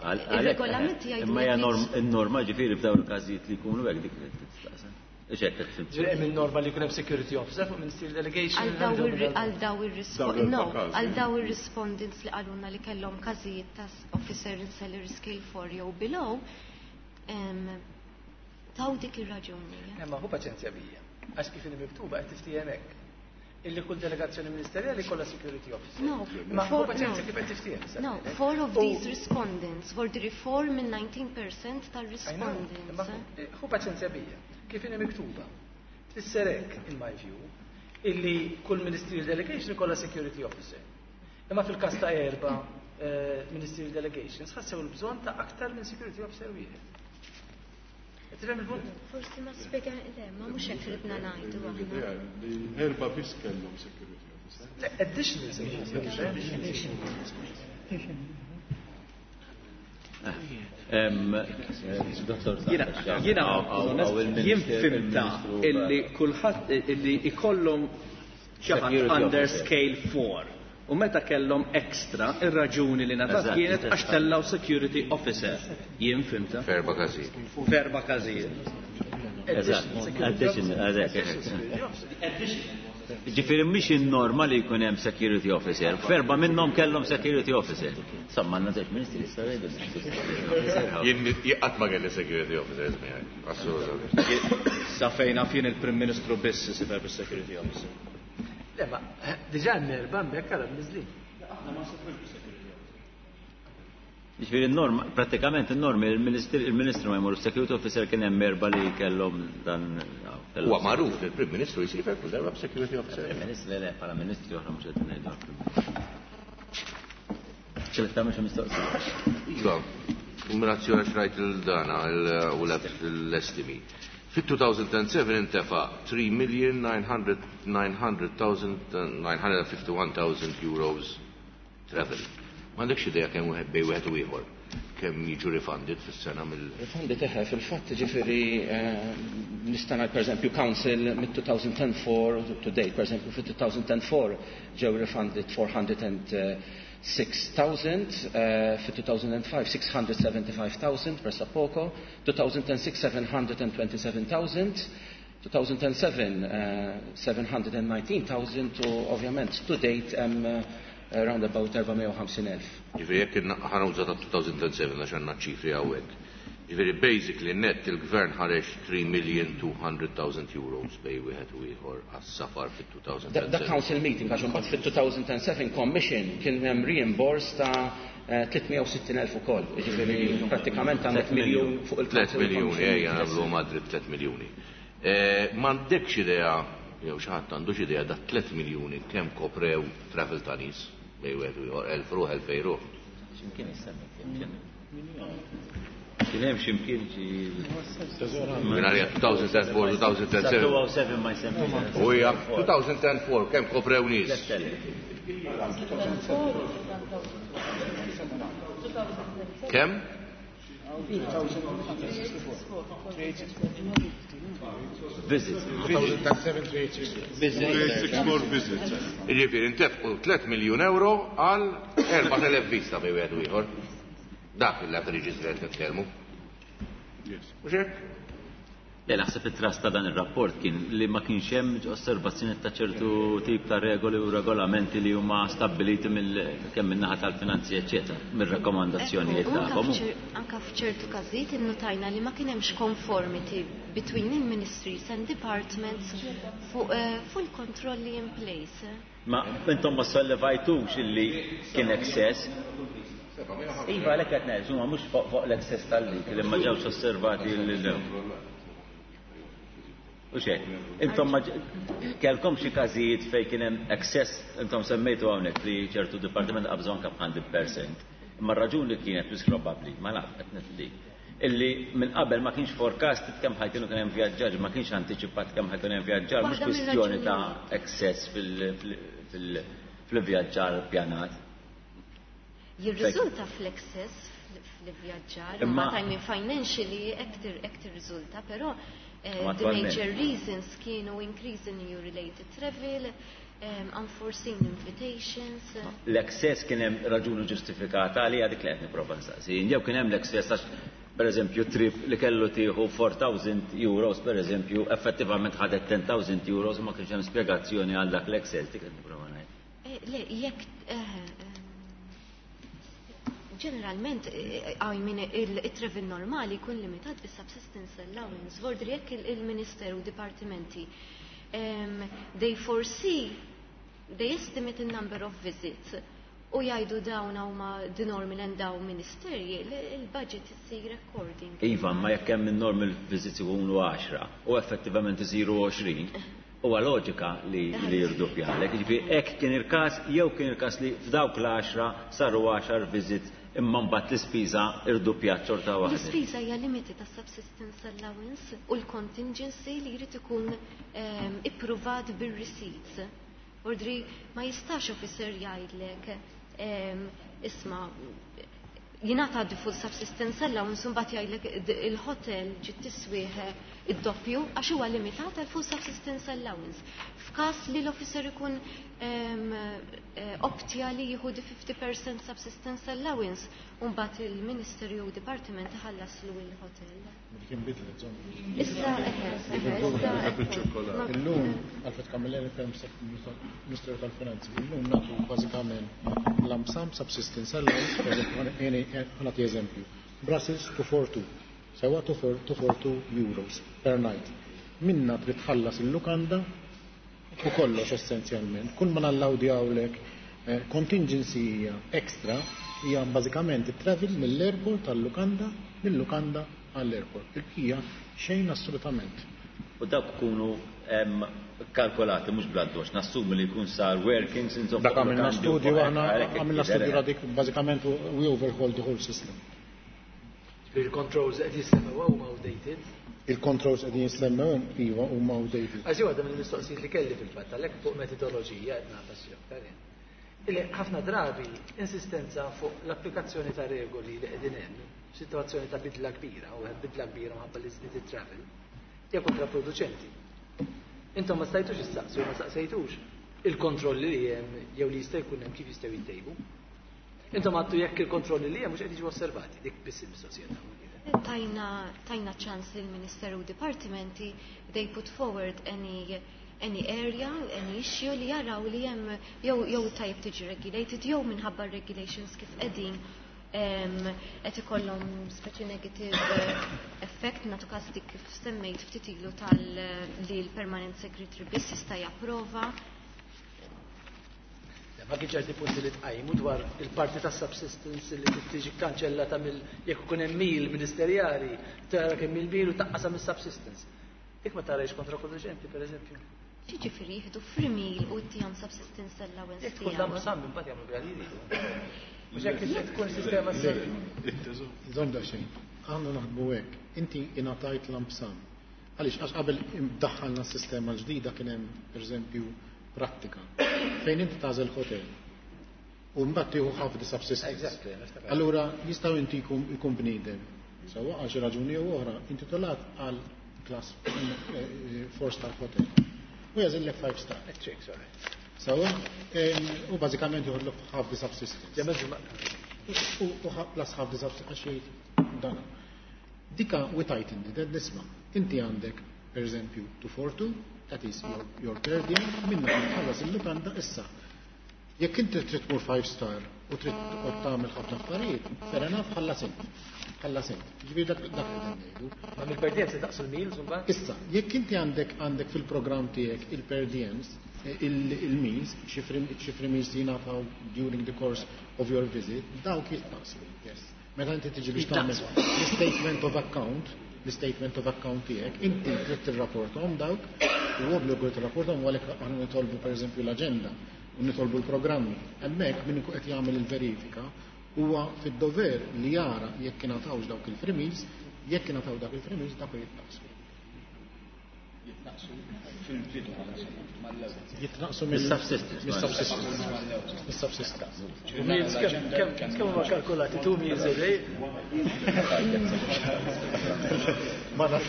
Għal- ir-regolamenti jgħidu Imma hija li norm- in-norma ġifieri f'dawn il-każijiet li jkunu hekk dik li tistaqsa. Ixek qed tifhem. Ġifieri hemm il-norma li jkun hemm security officer fuq ministerial delegation. Għal daw ir- għal daw ir-rispo- Dawn no, l-erba' każi. għal daw ir-respondents li qalulna li kellhom każijiet ta' officer in salary scale four jew below, em, taw dik ir-raġuni. Imma hu paċenzja bija. Għax kif inhi miktuba qed tiftiehem hekk. Illi kull delegazzjoni ministerjali kollha security officer. No, Ma hu four, paċenzja no. kif qed tiftiehem. No, four of these respondents were the reform in nineteen percent tal-respondents. Imma hu paċenzja bija. Kif inhi miktuba? Tfisser hekk, in my view, illi kull ministerial delegation kollha security officer. Imma fil-każ ta' erba' eh, ministerial delegations ħassew il-bżonn ta' aktar minn security officer wieħed. Qed tifhem il-punt? Forsi ma spjega, le, ma mhux hekk ridna ngħidu aħna. L-idea li erba' biss kellhom security officer. Le, additional security officer. Em, eh, Dottor Jiena, jiena, jien fhimtha illi kulħadd illi ikollhom xi ħadd Security under officer. scale four. U meta kellhom extra, ir-raġuni li ngħatat Eżatt, kienet għax eżatt. tellaw security officer. Jien fhimtha. F'erba' każijiet. F'erba' każijiet. Eżatt, additional, eżatt. Ġifieri mhix in-norma li jkun hemm security officer. F'erba' minnhom kellhom security officer. Insomma, għandna żewġ ministri jistgħu jgħidu security. Jien qatt ma kelli security officers miegħi. Assolutament. Sa fejn naf jien il-Prim Ministru biss isifer bis-security officer. Le, ma diġà hemm erba' hemmhekk għara mniżlin. Ġifieri n-norma, pratikament n-norma, il-ministru il-ministru ma jmur security officer kien hemm erba' li kellhom dan. Huwa magħruf li l-Prim Ministru jsifer kull darba b'security officer. Il-ministru le le, bħala ministri oħra mhux qed ngħidu. ċelek tagħmel xi mistoqsija. Iva, kombinazzjoni xrajt il-dana u l-estimi. Fit-two thousand seven intefa three million nine hundred nine hundred thousand nine hundred fifty-one thousand euros travel. M'għandekx idea kemm wieħed bej wieħed u ieħor. kemm jiġu refunded fis-sena mill Refunded eħe, fil-fatt ġifieri nista' ngħid pereżempju Council mid-two thousand four to date, pereżempju fit-two thousand four ġew refunded four hundred and six thousand, fit-two thousand five six hundred seventy-five thousand pressappoco, two thousand six seven hundred twenty-seven thousand, two thousand seven uh, seven hundred nineteen thousand u ovvjament to date um, uh, around about four hundred fifty thousand. Ġifieri jekk ħa nuża ta' two thousand seven għax għandna ċifri hawnhekk. Ġifieri basically net il-gvern ħareġ three million two hundred thousand euros bejn wieħed u ieħor għas-safar fit-two thousand seven. Da council meeting, għax imbagħad fit-two thousand seven commission kien hemm reimburse ta' tliet mija u sittin elf ukoll. Ġifieri prattikament għandek miljun fuq il-council. tliet miljuni, ejja nagħmlu Madrid tliet miljuni. M'għandekx idea, jew xi ħadd għandux idea da tliet miljuni kemm koprew travel ta' nies bejn wieħed u ieħor, elf ruħ, elfejn ruħ? X'imkien issemmi kien hemm x'imkien xi Minn għalija two thousand four, two thousand seven. two thousand seven ma jsemmi. U hija two thousand four kemm koprew nies? Kemm? Visits. three eight six four visits. Jiġifieri ntefqu tliet miljun euro għal erbat elef vista bejn wieħed u ieħor. Dak il-averages li qed nitkellmu. Yes. Mhux hekk? Le, naħseb it-thrust ta' dan ir-rapport kien li ma kienx hemm osservazzjoni ta' ċertu tip ta' regoli u regolamenti li huma stabbiliti mill kemm min-naħa tal-finanzi eċċetera, mir-rakkomandazzjonijiet tagħhom. Anka f'ċertu każijiet innutajna li ma kien hemmx conformity between il-ministries and departments fuq eh, fuq il-kontrolli in place. Ma intom ma sollevajtux illi kien excess. Iva, għalhekk qed ngħid, huma mhux fuq fuq l-excess tal-lik li ma ġewx osservati l U xek, intom ma kellkom xi każijiet fejn kien hemm excess, intom semmejtu hawnhekk li ċertu dipartiment qabżu anke b' mija fil-mija. Imma r-raġuni kienet wis probabbli, ma naf qed nifli, illi minn qabel ma kienx forecast kemm ħa jkunu kien hemm vjaġġar, ma kienx antiċipat kemm ħa jkun hemm vjaġġar, mhux Waħda kwistjoni ta' mir-raġunijiet. excess fil-vjaġġar pjanat. Jirriżulta fl-excess fl-vjaġġar, Imma- ma I mean financially hekk hekk tirriżulta, però eh, Ma the attualment. major reasons kienu increase in E U related travel, um, unforeseen invitations. L-excess kien hemm raġuni ġustifikata għalija, dik li qed nipprova nsaqsi. Jew kien hemm l-excess għax per eżempju trip li kellu tieħu four thousand euros per eżempju effettivament ħadet ten thousand euros u ma kienx hemm spjegazzjoni għal dak l-excess, dik qed nipprova ngħid. Eh, Le, jekk eh, eh, ġeneralment, eh, I mean, il-travel normali jkun limitat bis subsistence allowance. Vordri jekk il- il-ministeru u dipartimenti um, they foresee, they estimate the number of visits u jgħidu dawn huma the normal and dawn ministeri, il-budget isir according. Iva, ma jekk hemm in-normal visits ikunu għaxra u effettivament isiru għoxrin, huwa loġika li li jirdoppjalek. Jiġifieri hekk kien il-każ jew kien il-każ li f'dawk l-għaxra saru għaxar visits imma mbagħad l-ispiża irdoppjat xorta waħda. L-ispiża hija limited ta' subsistence allowance u l-contingency li jrid ikun um, ippruvat bir-receipts. Ordri ma jistax officer jgħidlek um, isma' jingħata the full subsistence allowance u mbagħad jgħidlek d- il-hotel ġiet tiswih id-doppju għax huwa limitat għal full subsistence allowance. F'każ li l-officer ikun um, eh, optja li jieħu di fifty percent subsistence allowance u mbagħad il-Ministry u Department iħallaslu il-hotel. Dik inbidlet, żomm. Issa, eħe, eħe, issa, Bil-ċirkolari. Illum, Alfred Camilleri, Perm Ministeru tal-Finanzi, illum nagħtu bażikament lump sum subsistence allowance, per eżempju, ħa nagħti eżempju, Brussels two forty-two, sewa two forty-two euros per night. Minna trid tħallas il-lukanda u kollox essenzjalment. Kull ma nallowdjawlek eh, contingency hija extra hija bażikament it-travel mill-airport għall-lukanda, mill-lukanda għall-airport. Il-bqija xejn assolutament. U dawk ikunu em, kalkolati mhux bl-addoċ, nassumi li jkun sar workings insomma. Dak għamilna lukandi u studju fuq aħna hekk, għamilna hekk studju jidher. dik bażikament we overhaul the whole system. Il-controls qed jissemmew huma outdated. Il-controls qegħdin jissemmew iva huma outdated. Għaxi waħda mill-mistoqsijiet li kelli fil-fatt għalhekk fuq metodoloġija qed nagħfas xi aktar jien. Illi ħafna drabi insistenza fuq l-applikazzjoni ta' regoli li qegħdin hemm, situazzjoni ta' bidla kbira, u hemm bidla kbira minħabba li żdied it-travel, hija kontraproduċenti. Intom ma stajtux issaqsu, ma saqsejtux il-kontrolli li hemm jew li jista' jkun hemm kif jistgħu jittejbu. Intom għattu jekk il-kontrolli li hemm mhux qed jiġu osservati, dik biss il-mistoqsija tagħna. Tajna tajna ċans lill ministeru u dipartimenti, they put forward any any area, any issue li jaraw li hemm jew jew tajjeb tiġi regulated jew minħabba regulations kif qegħdin qed ikollhom speċi negative effect. Natu każ dik kif semmejt ftit ilu tal li l-permanent secretary biss jista' japprova. Ma kien ċerti punti li tqajmu dwar il-parti ta' subsistence li tiġi kanċellata mill jekk ikun hemm meal ministerjali, tara kemm il-meal u taqqasam is-subsistence. Dik ma tarajx kontraproduċenti, pereżempju. Ġifieri jieħdu free meal u tihom subsistence allowance. Jekk tkun lump sum imbagħad jagħmlu biha li jridu. Mhux hekk tkun sistema. Żomm daqsxejn. Aħna naħdmu hekk. Inti ingħatajt lump sum. Għaliex għax qabel daħħalna s-sistema l-ġdida kien hemm pereżempju prattika fejn inti tagħżel hotel u mbagħad tieħu ħafna subsistence. Allura jistgħu inti jkun bniedem sewwa għal xi raġuni jew oħra intitolat għal class four star hotel. U jażillek five star. Sewwa u bażikament joħodlok half the subsistence. U plus half the subsistence għax jgħid dan. Dika we tightened it, nisma'. Inti għandek per eżempju two four two, that is your, your per diem, minna tħallas il-lukanda issa. Jekk inti trid tmur five star u trid toqgħod tagħmel ħafna affarijiet, fair enough, ħallas int. Ħallas int. Ġifieri dak dak li ngħidu. Ma mill-per diem se taqsu l-meals imbagħad? Issa, jekk inti għandek għandek fil-programm tiegħek il-per diems, il-meals, xi free meals jingħataw during the course of your visit, dawk jitnaqsu. Yes. Meta inti tiġi biex tagħmel l-statement of account, l-statement of account tiegħek, inti trid tirrapporthom dawk, u obbligu tirrapporthom għalhekk aħna nitolbu pereżempju l-aġenda u nitolbu l-programmi. Hemmhekk min ikun qed jagħmel il-verifika huwa fid-dover li jara jekk ingħatawx dawk il-free meals, jekk ingħataw dawk il-free meals dawk jitnaqsu. Jitnaqsu fil-bidu mal-ewwel. Jitnaqsu mill-subsistence. Mill-subsistence. Meals kemm kemm huma kalkulati two meals a day? Ma nafx.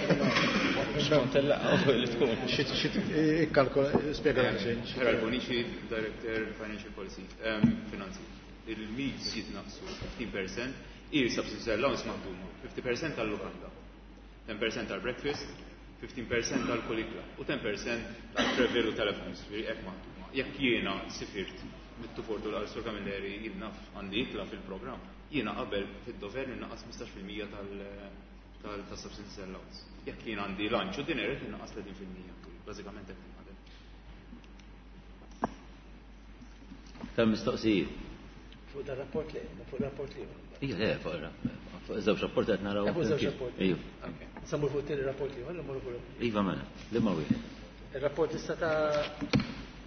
Skont il-laqgħa li tkun. Xi xi ikkalkola spjega xejn. Gerald Bonici, Director Financial Policy, Finanzi. Il-meals jitnaqsu fifteen percent, il-subsistence allowance maħduma fifty percent tal-lukanda, ten percent tal-breakfast, fifteen percent tal-kulikla u ten percent tal-travel u telephones, ġifieri hekk maħduma. Jekk jiena sifirt mit-tufortu l Sur Camilleri jien naf għandi ikla fil-programm, jiena qabel fid-dover ninqas ħmistax fil-mija tal-subsistence allowance. Jekk jien għandi lunch u dinner qed ninqas tletin fil-mija. Bażikament hekk tinħadem. Kemm mistoqsijiet? Fuq dar rapport li, fuq rapport li. Ija, le, fuq fuq żewġ rapporti qed naraw. Fuq żewġ rapporti. Iju. Samur fuq it-tieni rapport li, ħalli mmorru fuq. Iva mela, li ma wieħed. Ir-rapport issa ta'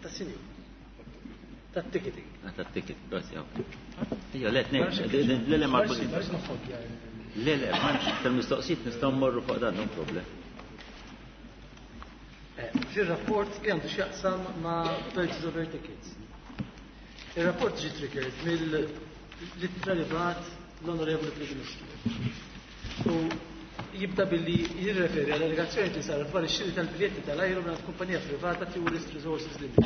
ta' sinjur. Ta' ticketing. Ah, ta' ticket, grazzi, ok. Ija, le, tnejn, le, le, ma Le, le, ma tal-mistoqsijiet nistgħu mmorru fuq dan, no problem. Fir-rapport li għandu x'jaqsam ma' purchase of air tickets. Il-rapport ġie triggered mill-ittra li bagħat l-Onorevoli Prim Ministru. U jibda billi jirreferi għal allegazzjoni li saret dwar ix-xiri tal-biljetti tal-ajru minn kumpanija privata Tourist Resources Limited.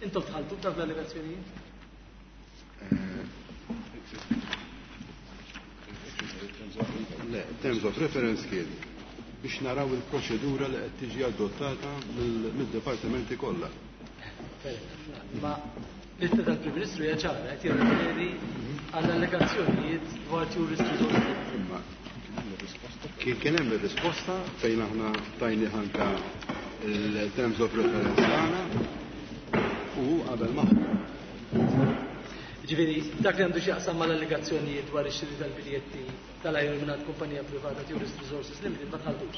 Intom tħalltu b'dawk l-allegazzjonijiet? Le, terms of reference kien biex naraw il-proċedura li qed tiġi adottata mid-dipartimenti kollha. Ma l-ittra tal-Prim Ministru hija ċara, qed jirreferi għall allegazzjonijiet dwar Tourist Resources Limited. Imma kien kien hemm ir-risposta fejn aħna tajni ħanka il-terms of reference tagħna u qabel magħhom. Ġifieri, dak li għandu x'jaqsam mal-allegazzjonijiet dwar ix-xiri tal-biljetti tal-ajru mingħand kumpanija privata Tourist Resources Limited ma tħalltux.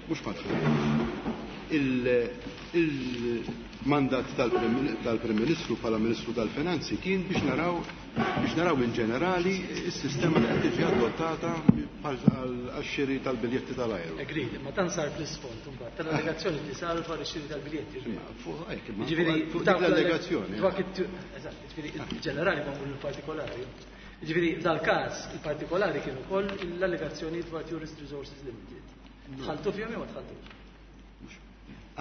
Mhux ma tħalltux. Il, il, Mandat tal-Prim Ministru bħala Ministru tal-Finanzi kien biex naraw biex naraw in ġenerali s-sistema li qed tiġi adottata għax-xiri tal-biljetti tal-ajru. Agreed, ma dan sar fl-isfond imbagħad tal-allegazzjoni li sar dwar ix-xiri tal-biljetti. Ġifieri fuq dik l-allegazzjoni. Eżatt, ġifieri il-ġenerali ma mhux il-partikolari. Ġifieri dal-każ il-partikolari kien ukoll l-allegazzjoni dwar Tourist Resources Limited. Dħaltu fihom jew ma dħaltux?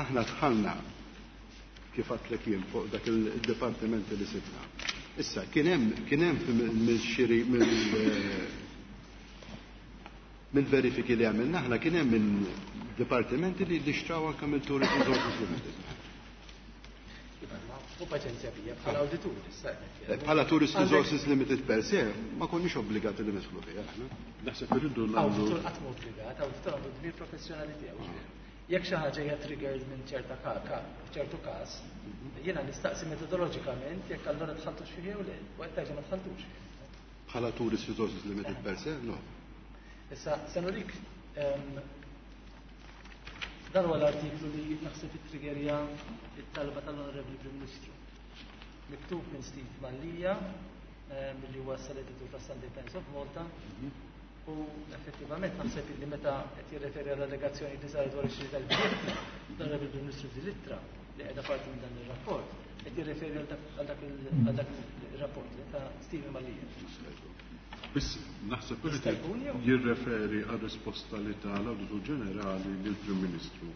Aħna dħalna kif għedtlek jien fuq dak il-dipartimenti li sibna. Issa, kien hemm kien hemm mill-xiri mill-verifiki li għamilna aħna kien hemm minn dipartimenti li li xtraw anke mill-Tourist Resources Limited. U paċenzja bija bħala awditur issa. Bħala Tourist Resources Limited per se, ma konniex obbligati li nidħlu fiha aħna. Naħseb irridu nagħmlu. Awditur qatt ma obbligat, awditur għandu dmir professjonali tiegħu. Jekk xi ħaġa hija triggered minn ċerta ċertu każ, jiena nistaqsi metodoloġikament jekk allura dħaltux fih jew le, u qed tgħid ma dħaltux fih. Bħala Tourist Resources Limited per se, no. Issa, se nurik dan huwa l-artiklu li naħseb ittriggerja it-talba tal-Onorevoli Prim Ministru. Miktub minn Steve Mallia, milli huwa l-editur ta' Sunday Times of Malta, u effettivament naħseb li meta qed jirreferi għall allegazzjoni li saret dwar ix-xiri tal-biljetti, l-Onorevoli Prim Ministru f'din li qiegħda parti minn dan ir-rapport, qed jirreferi għal dak ir-rapport ta' Steve Mallia. Biss naħseb irid jirreferi għal risposta li ta l-Awditur Ġenerali lill-Prim Ministru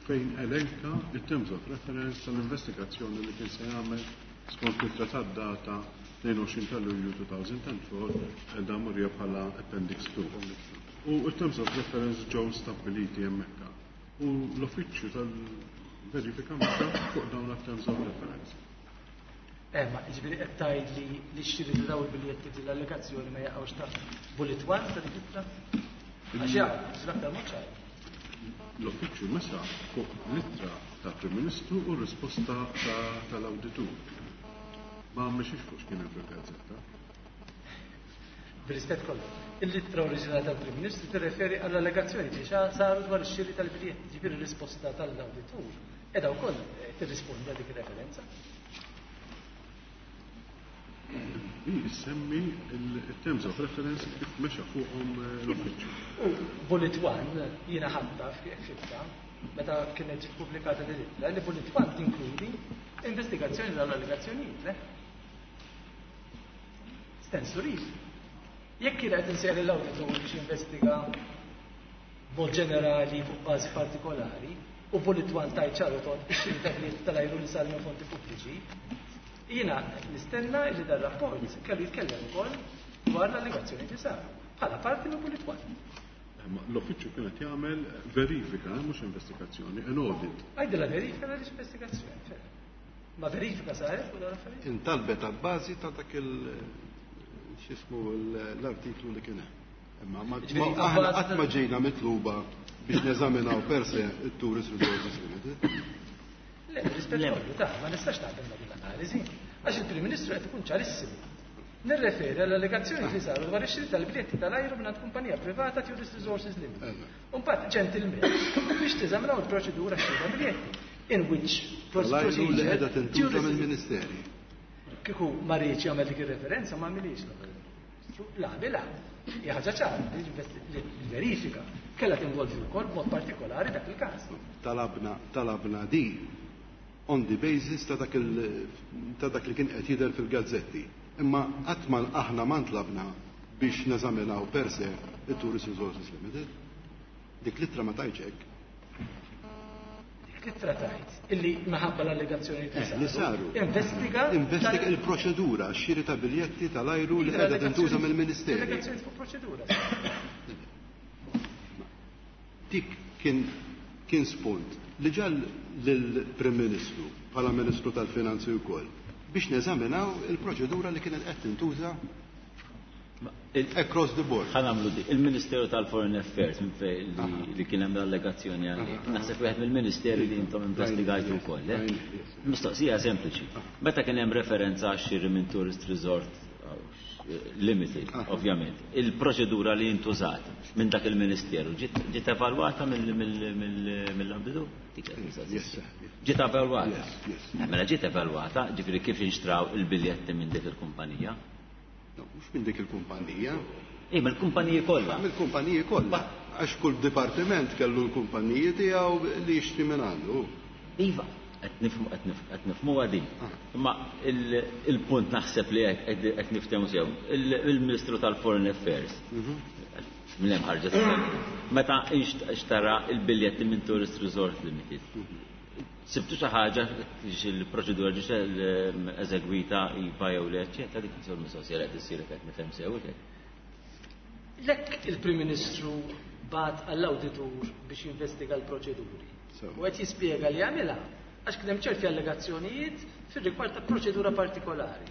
fejn elenka it-terms of reference tal-investigazzjoni li kien se jagħmel skont it-trattat data tnejn u għoxrin ta' Lulju two thousand and four qiegħda murija bħala Appendix two. U it-terms of reference ġew stabbiliti hemmhekk. U l-uffiċċju tal-verifika mexa fuq dawn it-terms of reference. Eh, ma ġifieri qed tgħid li li xiri ta' dawn il-biljetti l-allegazzjoni ma jaqgħux taħt bullet one ta' dik ittra? Għax jaqgħu, l-aktar mod ċar. L-uffiċċju mexa fuq l-ittra tal-Prim Ministru u r-risposta tal-awditur. Ma mexiex fuq x'kien hemm fil-gazzetta. Bir-rispett kollu. Il-ittra oriġinali tal-Prim Ministru tirreferi għall-allegazzjoni li saru dwar ix-xiri tal-biljetti, ġifieri r-risposta tal-awditur qiegħda wkoll tirrispondi għal dik ir-referenza. Hi semmi il-terms of reference kif mexa fuqhom l-uffiċċju. U bullet one jiena ħadta fibta meta kienet ġiet pubblikata din l-ittra li bullet one tinkludi investigazzjoni tal-allegazzjonijiet, le? Stands to reason. Jekk kien qed insejjaħ l-awditur biex jinvestiga b'mod ġenerali fuq bażi partikolari u bullet one tajt ċar u tond ix-xiri ta' biljetti tal-ajru li sar minn fondi pubbliċi, jiena nistenna li dan rapport kellu jitkellem ukoll dwar l-allegazzjoni li saru bħala parti minn bullet one. L-uffiċċju kienet jagħmel verifika, mhux investigazzjoni, an audit. Għajdilha verifika għaliex investigazzjoni. Ma verifika saret fuq dawn l-affarijiet? Intalbet għal bażi ta' dak il x'ismu l-artiklu li kien hemm. Imma ma aħna qatt ma ġejna mitluba biex neżaminaw per se it-Tourist Resources Limited. Le, rispett kollu ta' ma nistax nagħmel din l-analiżi għax il-Prim Ministru qed ikun ċarissimu. Nirreferi għall allegazzjoni li saru dwar ix-xiri tal-biljetti tal-ajru minn kumpanija privata Tourist Resources Limited. Imbagħad ġentilment biex teżaminaw il-proċedura xiri tal-biljetti in which procedure li qiegħda tintuża mill-Ministeri. Kieku ma riedx jagħmel dik ir-referenza ma għamilix. La, bila, hija ħaġa ċara li l-verifika kellha tinvolvi wkoll b'mod partikolari dak il-każ. Talabna talabna di on the basis ta' dak ta' dak li kien qed jidher fil-gazzetti. Imma qatt ma aħna ma ntlabna biex neżaminaw per se it-Tourist Resources Limited. Dik l-ittra ma tgħidx hekk. Dik l-ittra tgħid illi minħabba l-allegazzjoni li saru. Investiga Investiga il-proċedura x-xiri ta' biljetti tal-ajru li qiegħda tintuża mill-Ministeri. Allegazzjoni fuq proċedura. Dik kien kien spunt li ġal lill-Prim Ministru bħala Ministru tal-Finanzi wkoll biex neżaminaw il-proċedura li kienet qed tintuża across the board. Ħa nagħmlu di. Il-Ministeru tal-Foreign Affairs minn fej li kien hemm l-allegazzjoni għalik. Naħseb wieħed mill-Ministeri li intom investigajtu wkoll. Eh? Mistoqsija sempliċi. Meta kien hemm referenza għax-xiri minn tourist resort Limited, ovvjament. Il-proċedura li intużat minn dak il-Ministeru ġiet evalwata mill-awditur? Ġiet evalwata. Mela ġiet evalwata, ġifieri kif inxtraw il-biljetti minn dik il-kumpanija? Mhux minn dik il-kumpanija. Ej, mill-kumpaniji kollha. Mill-kumpaniji kollha. Għax kull dipartiment kellu l-kumpaniji tiegħu li jixtri minn għandu. Iva, qed nifhmu din. Imma il-punt naħseb li qed niftehmu sew. Il-Ministru tal-Foreign Affairs minn hemm ħarġet meta xtara il-biljetti minn Tourist Resort Limited. Sibtu xi ħaġa il-proċedura ġiet eżegwita iva jew le, eċċetera, dik insur mistoqsija li qed issir qed nifhem sew. Lek il-Prim Ministru bagħat għall-awditur biex jinvestiga l-proċeduri. U qed jispjega li għamilha għax kien hemm ċerti allegazzjonijiet fir-rigward ta' proċedura partikolari.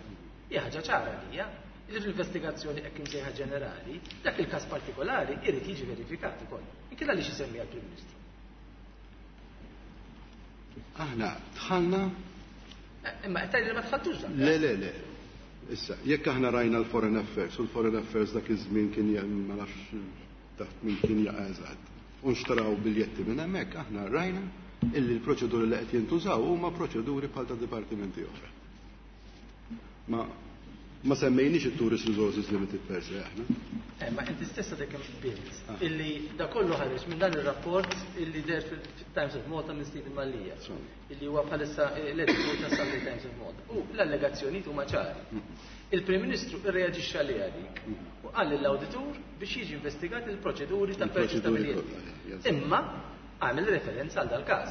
Hija ħaġa ċara li hija li fl-investigazzjoni hekk imsejħa ġenerali, dak il-każ partikolari irid jiġi verifikat ukoll. Inkella għaliex isemmi għall-Prim Ministru. Aħna dħalna. Imma qed tgħid li ma dħaltux dan. Le, le, le. Issa, jekk aħna rajna l-Foreign Affairs, u l-Foreign Affairs dak iż-żmien kien ma nafx taħt min kien jaqa' eżatt. U nxtraw biljetti minn hemmhekk, aħna rajna illi l-proċeduri li qed jintużaw huma proċeduri bħal ta' dipartimenti oħra. Ma ma semmejniex it-Tourist Resources Limited per se aħna. Eh, ma inti stessa dik hemm qbilt illi da kollu ħareġ minn dan ir-rapport illi deher fil-Times of Malta minn Stephen Mallia, illi huwa bħalissa l-editur ta' Sunday Times of Malta. U l-allegazzjonijiet huma ċari. Il-Prim Ministru irreaġixxa għaliha dik u qal lill-awditur biex jiġi investigat il-proċeduri ta' purchase ta' biljetti. Imma għamel referenza għal dal-każ.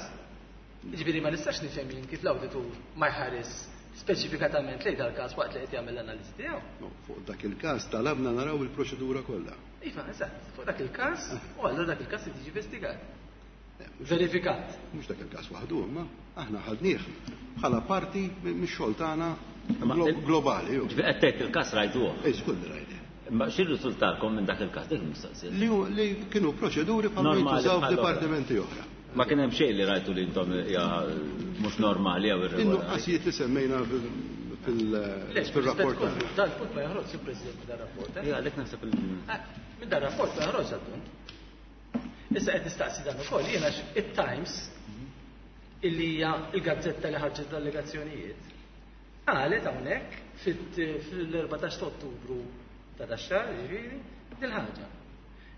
Jiġifieri ma nistax nifhem jien kif l-awditur ma jħares speċifikatament lejn dal-każ waqt li qed jagħmel l-analiżi tiegħu. No, fuq dak il-każ talabna naraw il-proċedura kollha. Iva, eżatt, fuq dak il-każ u allura dak il-każ irid jiġi investigat. Verifikat. Mhux dak il-każ waħdu, imma aħna ħadnieh bħala parti mix-xogħol tagħna globali. Ġifieri qed tgħid il-każ rajtuh. Ej, żgur li rajnieh. Ma x'irriżultalkom minn dak il-każ dik il-mistoqsija? Li kienu proċeduri bħal jintużaw f'dipartimenti oħra. Ma kien hemm xejn li rajtu li intom hija mhux normali jew irregolari. In-nuqqasijiet li semmejna fil-rapport. Dan punt ma joħroġ il-President minn dan rapport. Ija, għalhekk naħseb il- Minn dan rapport ma joħroġ dal-punt. Issa qed nistaqsi dan ukoll jiena it-Times illi hija l-gazzetta li ħarġet l-allegazzjonijiet qalet hawnhekk fil-erbatax ta' Ottubru ta' dax-xahar, jiġifieri, dil-ħaġa.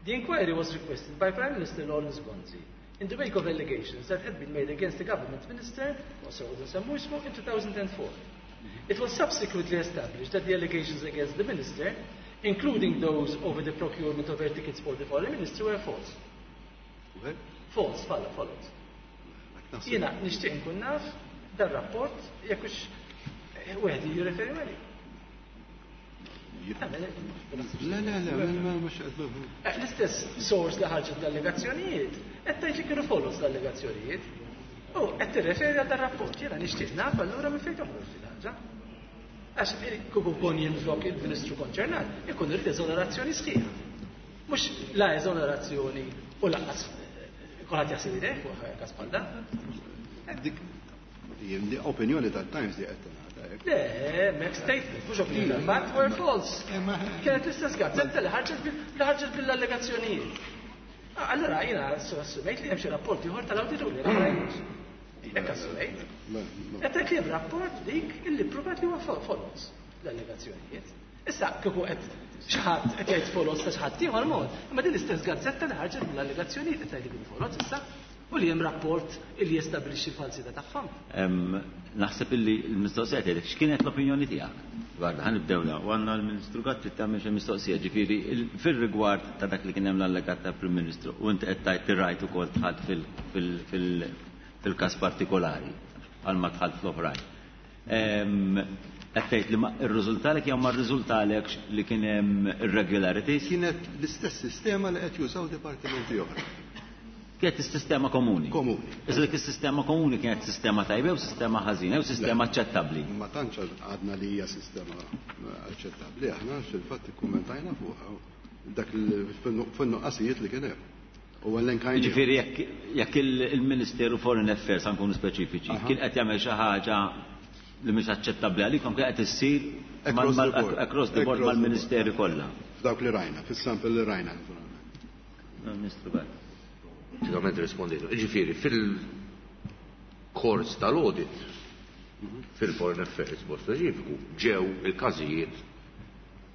The inquiry was requested by Prime Minister Lawrence Gonzi in the wake of allegations that had been made against the government minister, also nsemmu ismu, in two thousand four. It was subsequently established that the allegations against the minister, including those over the procurement of air tickets for the foreign minister, were false. Well? False, follow, followed. Jiena nixtieq nkun naf dar rapport jekk hux wieħed jirreferi għalih. Le, le, le, mhux qed. L-istess source li ħarġet l-allegazzjonijiet, qed tgħid li kienu follows l-allegazzjonijiet. U qed tirreferi għal dar-rapport, jiena nixtieq naf allura minn fejn toħroġ din ħaġa. Għax kieku kun jien flok il-Ministru konċernat, ikun irid eżonerazzjoni sħiħa. Mhux la eżonerazzjoni u lanqas kulħadd jaħseb idejh fuq każ bħal dan. Dik opinjoni tat-Times li qed tingħata. Le, mek statement, mhux opinjoni, fact were false. Kienet l-istess gazzetta li ħarġet bil-allegazzjonijiet. Allora jiena assumejt li hemm xi rapport ieħor tal-awditur li ma rajtux. Hekk assumejt. Qed tgħid li hemm rapport dik illi ppruvat li huwa false l-allegazzjonijiet. Issa kieku qed xi ħadd qed jgħid follows ta' xi ħadd ieħor mod, imma din l-istess gazzetta li ħarġet mill-allegazzjonijiet qed tgħid li kienu follows issa. U li hemm rapport illi jestabilixxi l-falsità tagħhom. Naħseb illi l-mistoqsija tiegħek x'kienet l-opinjoni tiegħek? Guarda, ħa nibdew la, u għandna l-Ministru Gatt trid tagħmel xi mistoqsija, ġifieri fir-rigward ta' dak li kien hemm l-allegat tal-Prim Ministru u inti qed tgħid tirajt ukoll dħalt fil-każ partikolari għal ma dħalt fl-oħrajn. Qed tgħid li rriżultalek jew ma rriżultalekx li kien hemm irregularities? Kienet l-istess sistema li qed jużaw dipartimenti oħra. Kienet is-sistema komuni. Komuni. Iżda dik is-sistema komuni kienet sistema tajba jew sistema ħażina jew sistema aċċettabbli? Ma tantx għadna li hija sistema aċċettabbli, aħna fil-fatt ikkummentajna fuqha dak fin-nuqqasijiet li kien hemm. U għallenkajna. Jiġifieri jekk il-Ministeru Foreign Affairs ħa nkunu speċifiċi, kien qed jagħmel xi ħaġa li mhix aċċettabbli għalikom kien qed issir across the board mal-Ministeri kollha. F'dawk li rajna, fis-sample li rajna naturalment. Ministru Gatt. Pratikament rispondejtu. Ġifieri fil-kors tal-audit fil-Foreign Affairs b'mod speċifiku ġew il-każijiet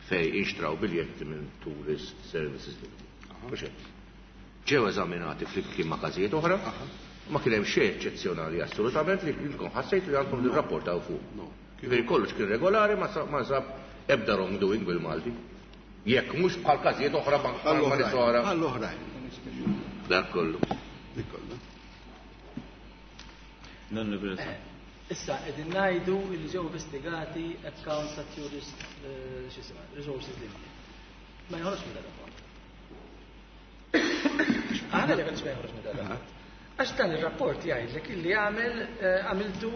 fej inxtraw biljetti minn Tourist Services Limited. Ġew eżaminati flimkien ma' każijiet oħra, ma kien hemm xejn eċċezzjonali assolutament li ilkom ħassejtu li għandkom nirrapportaw fuq. Ġifieri kollox kien regolari ma sab ebda wrongdoing bil-Malti. Jekk mhux bħal każijiet oħra ma' nies oħra. Bħall-oħrajn. Dak kollu. Dik kollu. Issa qegħdin ngħidu li ġew investigati accounts ta' Tourist x'isma' Resources Limited. Ma joħroġ minn dan rapport. Aħna li ma joħroġ minn dan rapport. Għax dan ir-rapport jgħidlek illi għamel għamiltu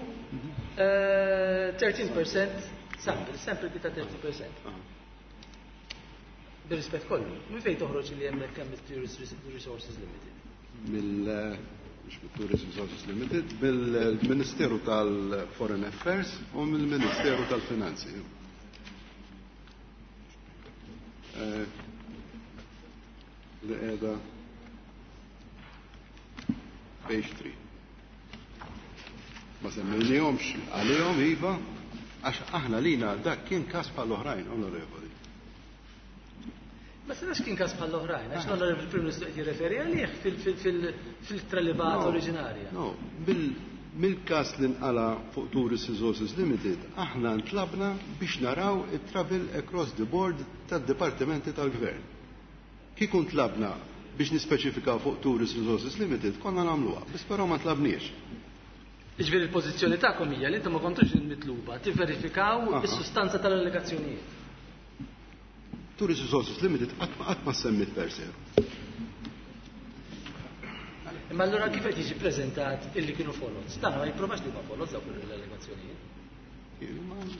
thirteen percent sample, sample ta' thirty percent. Bir-rispett kollu, minn fejn toħroġ li hemmhekk hemm Tourist Resources Limited? Mill mhux mit-Tourist Resources Limited, mill-Ministeru tal-Foreign Affairs u mill-Ministeru tal-Finanzi. Li qiegħda page three. Ma semmejnihomx għalihom iva, għax aħna lina dak kien każ bħall-oħrajn, onorevoli. Ma senax kien każ bħall-oħrajn, għax l-Onorevoli Prim Ministru qed jirreferi għalih fil-tralibat oriġinarja. No, mill-każ li nqala fuq Tourist Resources Limited, aħna ntlabna biex naraw it-travel across the board tad-dipartimenti tal-gvern. Kieku ntlabna biex nispeċifikaw fuq Tourist Resources Limited, konna nagħmluha, biss però ma tlabniex. Jiġifieri il-pożizzjoni tagħkom hija li intom ma kontux mitluba tivverifikaw is-sustanza tal-allegazzjonijiet. Tourist Resources Limited qatt ma semmit per se. Imma allura kif qed jiġi ppreżentat illi kienu folots? Dan ma jipprovax li huma folots dawk l-allegazzjonijiet.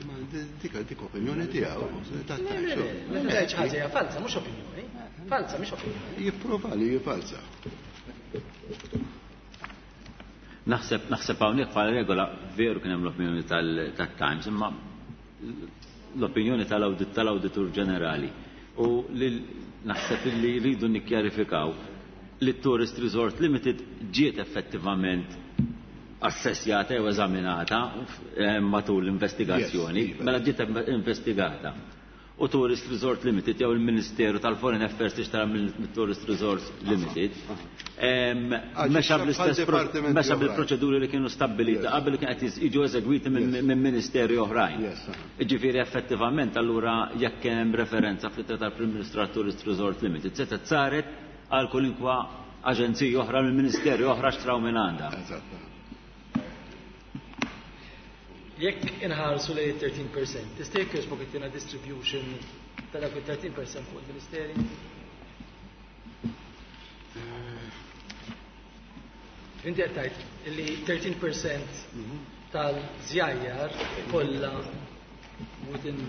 Ma dik dik opinjoni tiegħu. Le, le, le, meta tgħid xi ħaġa hija falsa, mhux opinjoni. Falsa mhix opinjoni. Jipprova li hi falsa. Naħseb naħseb hawnhekk bħala regola veru kien hemm l-opinjoni tal-Times, imma l-opinjoni tal-awdit tal-Awditur Ġenerali. U li naħseb li rridu nikkjarifikaw li Tourist Resort Limited ġiet effettivament assessjata jew eżaminata matul l-investigazzjoni, mela ġiet investigata. U Tourist Resort Limited jew il-Ministeru tal-Foreign Affairs tixtara mill-Tourist Resort Limited. Mexa bl-istess mexa bil-proċeduri li kienu stabbiliti qabel li kien qed jiġu eżegwiti minn ministeri oħrajn. Jiġifieri effettivament allura jekk hemm referenza fl-ittra tal-Prim Ministru għal Tourist Resort Limited setgħet saret għal kulinkwa aġenziji oħra mill ministeri oħra xtraw minn għandha. Jekk inħarsu lejn thirteen percent, tista' jekk jogħġbok ittina distribution ta' dak il-thirteen percent fuq il-Ministeri? Inti qed tgħid li thirteen percent tal-żjajjar kollha within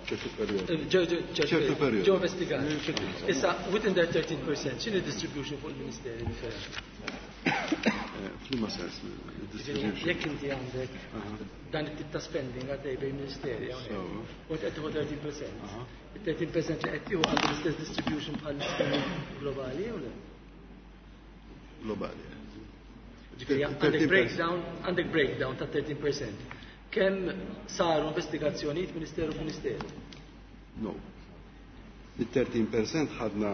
ċertu perjodu. Ċertu perjodu. Ġew investigati. Issa within that thirteen percent x'inhi distribution fuq il-Ministeri differenti? F'liema sens distribution? Jekk inti għandek dan it-tip ta' spending għaddej bejn ministeri hawnhekk, u qed tieħu thirteen percent. Il-thirteen percent li qed tieħu għandu l-istess distribution bħal spending globali jew le? Globali. Ġifieri għandek breakdown, għandek breakdown ta' thirteen percent. Kemm saru investigazzjonijiet ministeru f'ministeru? No. Il-thirteen percent ħadna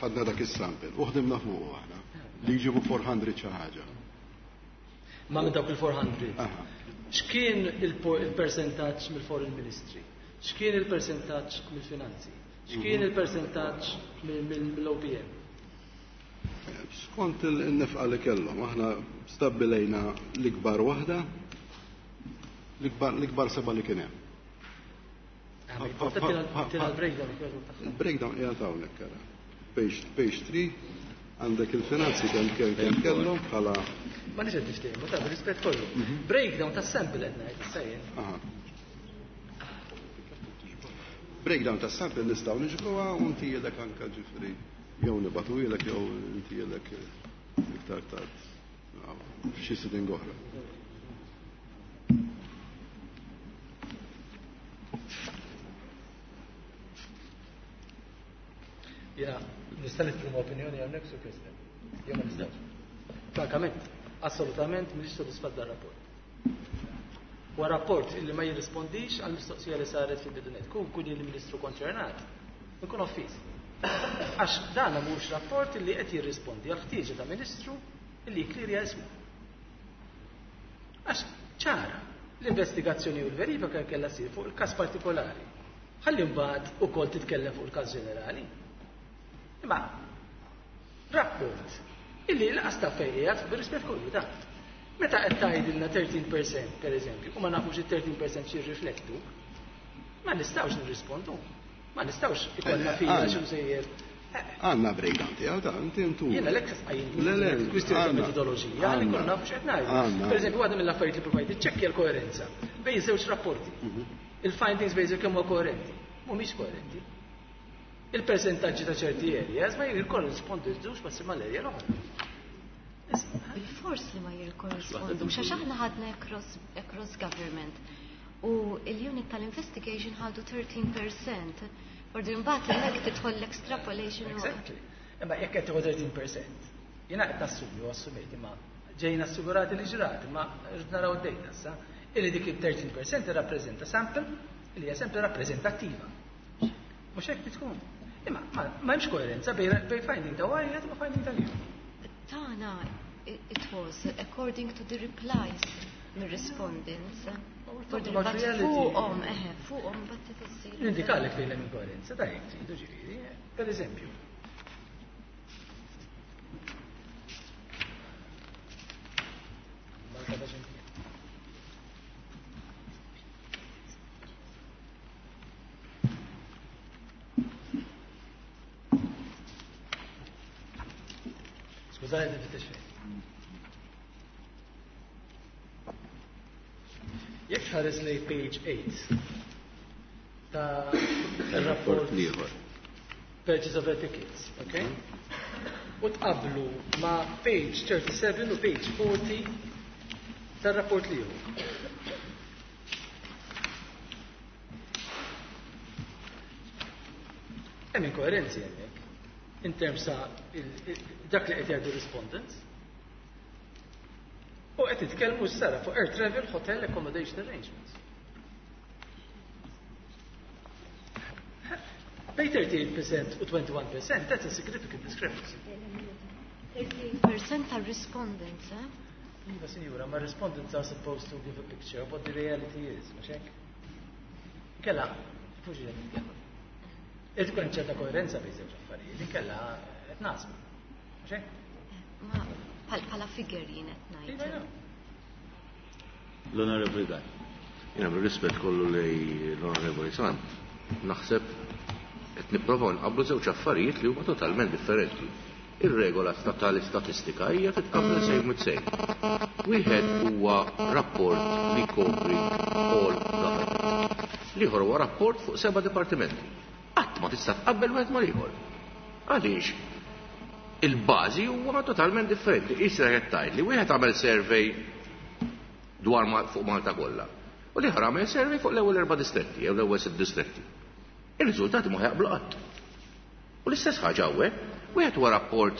ħadna dak is-sample u ħdimna fuqu aħna li jġibu four hundred xi ħaġa. Ma minn dawk il-four hundred. X'kien il-percentaġġ mill-Foreign Ministry? X'kien il-percentaġġ mill-Finanzi? X'kien il-percentaġġ mill-O P M? Skont il-nefqa li kellhom, aħna stabbilejna l-ikbar waħda, l-ikbar seba' li kien hemm. Il-breakdown qiegħed hawnhekk ara. Page three għandek il-finanzi kemm kemm kemm kellhom bħala Ma nix qed niftehmu, ta' rispett kollu. Breakdown tas-sample qed ngħid issa jien. Breakdown tas-sample nistgħu niġbruha u ntielek anke ġifieri jew nibatuhielek jew ntielek iktar tard f'xi sitting oħra. Jiena nista' nesprimi opinjoni hawnhekk, Sur President. Jew ma nistax. Frankament, assolutament m'iniex sodisfatt dar-rapport. Huwa rapport illi ma jirrispondix għal mistoqsija li saret fil-bidu nett. Kun kun il-Ministru konċernat, nkun offiż. Għax dan mhux rapport illi qed jirrispondi għal ħtieġa ta' Ministru illi jikklirja ismu. Għax ċara, l-investigazzjoni u l-verifika kellha ssir fuq il-każ partikolari. Ħalli mbagħad ukoll titkellem fuq il-każ ġenerali. Imma rapport illi laqas ta' fejn qiegħed bir-rispett kollu ta'. Meta qed tgħidilna thirteen percent pereżempju, u ma nafux it-thirteen percent xi ma nistgħux nirrispondu. Ma nistgħux ikollna fija xi sejjer. Għandna breakdown tiegħu ta' inti intu. Jiena lek qajjim kwistjoni ta' metodoloġija li nkunu nafu x'qed ngħidu. Pereżempju, waħda mill-affarijiet li provajt iċċekkja l-koerenza bejn żewġ rapporti. Mhm. Il-findings bejn kemm huwa koerenti. Mhumiex koerenti. Il-persentaġġi ta' ċerti areas ma jirkorrispondux ma' mal-area l-oħra. Bil-fors li ma jirkorrispondux, għax aħna ħadna across, across government u il-unit tal-investigation ħadu thirteen percent. Ordu mbagħad hemmhekk tidħol l-extrapolation. Exactly. Imma jekk qed tieħu thirteen percent, jiena qed nassumi u assumejt imma ġejna assigurati li ġrat, imma rrid naraw id-data issa, illi dik il-thirteen percent irrappreżenta sample li hija sample rappreżentattiva. Mhux hekk tkun. Imma ma hemmx koerenza bejn finding ta' wieħed u finding tal-ieħor. Tana, it was according to the replies mir-respondents. Fuqhom, eħe, fuqhom bat issir. Nindikalek fejn hemm inkoerenza, da jekk tridu ġifieri, per eżempju. Malta ta' ximkien. Skużani, nifittex fejn. Jekk tħares lej page eight ta' rapport ieħor. Purchase of tickets, okay? U tqablu ma' page thirty-seven u page forty tar-rapport l-ieħor. Hemm inkoerenzi hemmhekk in terms ta' dak li qed jgħidu respondents. U qed titkellmu s-sara fuq air travel, hotel, accommodation arrangements. Bejn thirty-eight percent u twenty-one percent, that's a significant discrepancy. thirty-eight percent are respondents, eh? Iva, sinjura, ma respondents are supposed to give a picture of what the reality is, mhux hekk? Kella, fuġi qed nitkellmu. Irid ikun ċerta koerenza bejn żewġ affarijiet, inkella qed nasbu. Mhux hekk? Ma bħala figure jien qed ngħid. L-Onorevoli Gaj. Jiena bir-rispett kollu lej l-Onorevoli Sant, naħseb qed nipprovaw nqabblu żewġ affarijiet li huma totalment differenti. Ir-regola tal-istatistika hija titqabbel same with same. Wieħed huwa rapport li jkopri all government. L-ieħor huwa rapport fuq seba' dipartimenti. Qatt ma tista' tqabbel wieħed mal-ieħor. Għaliex? Il-bażi huwa totalment differenti. Issa qed tgħid li wieħed għamel survey dwar fuq Malta kollha. U l-ieħor għamel survey fuq l-ewwel erba' distretti jew l-ewwel sitt distretti. Ir-riżultati ma jaqblu qatt. U l-istess ħaġa hawnhekk, wieħed huwa rapport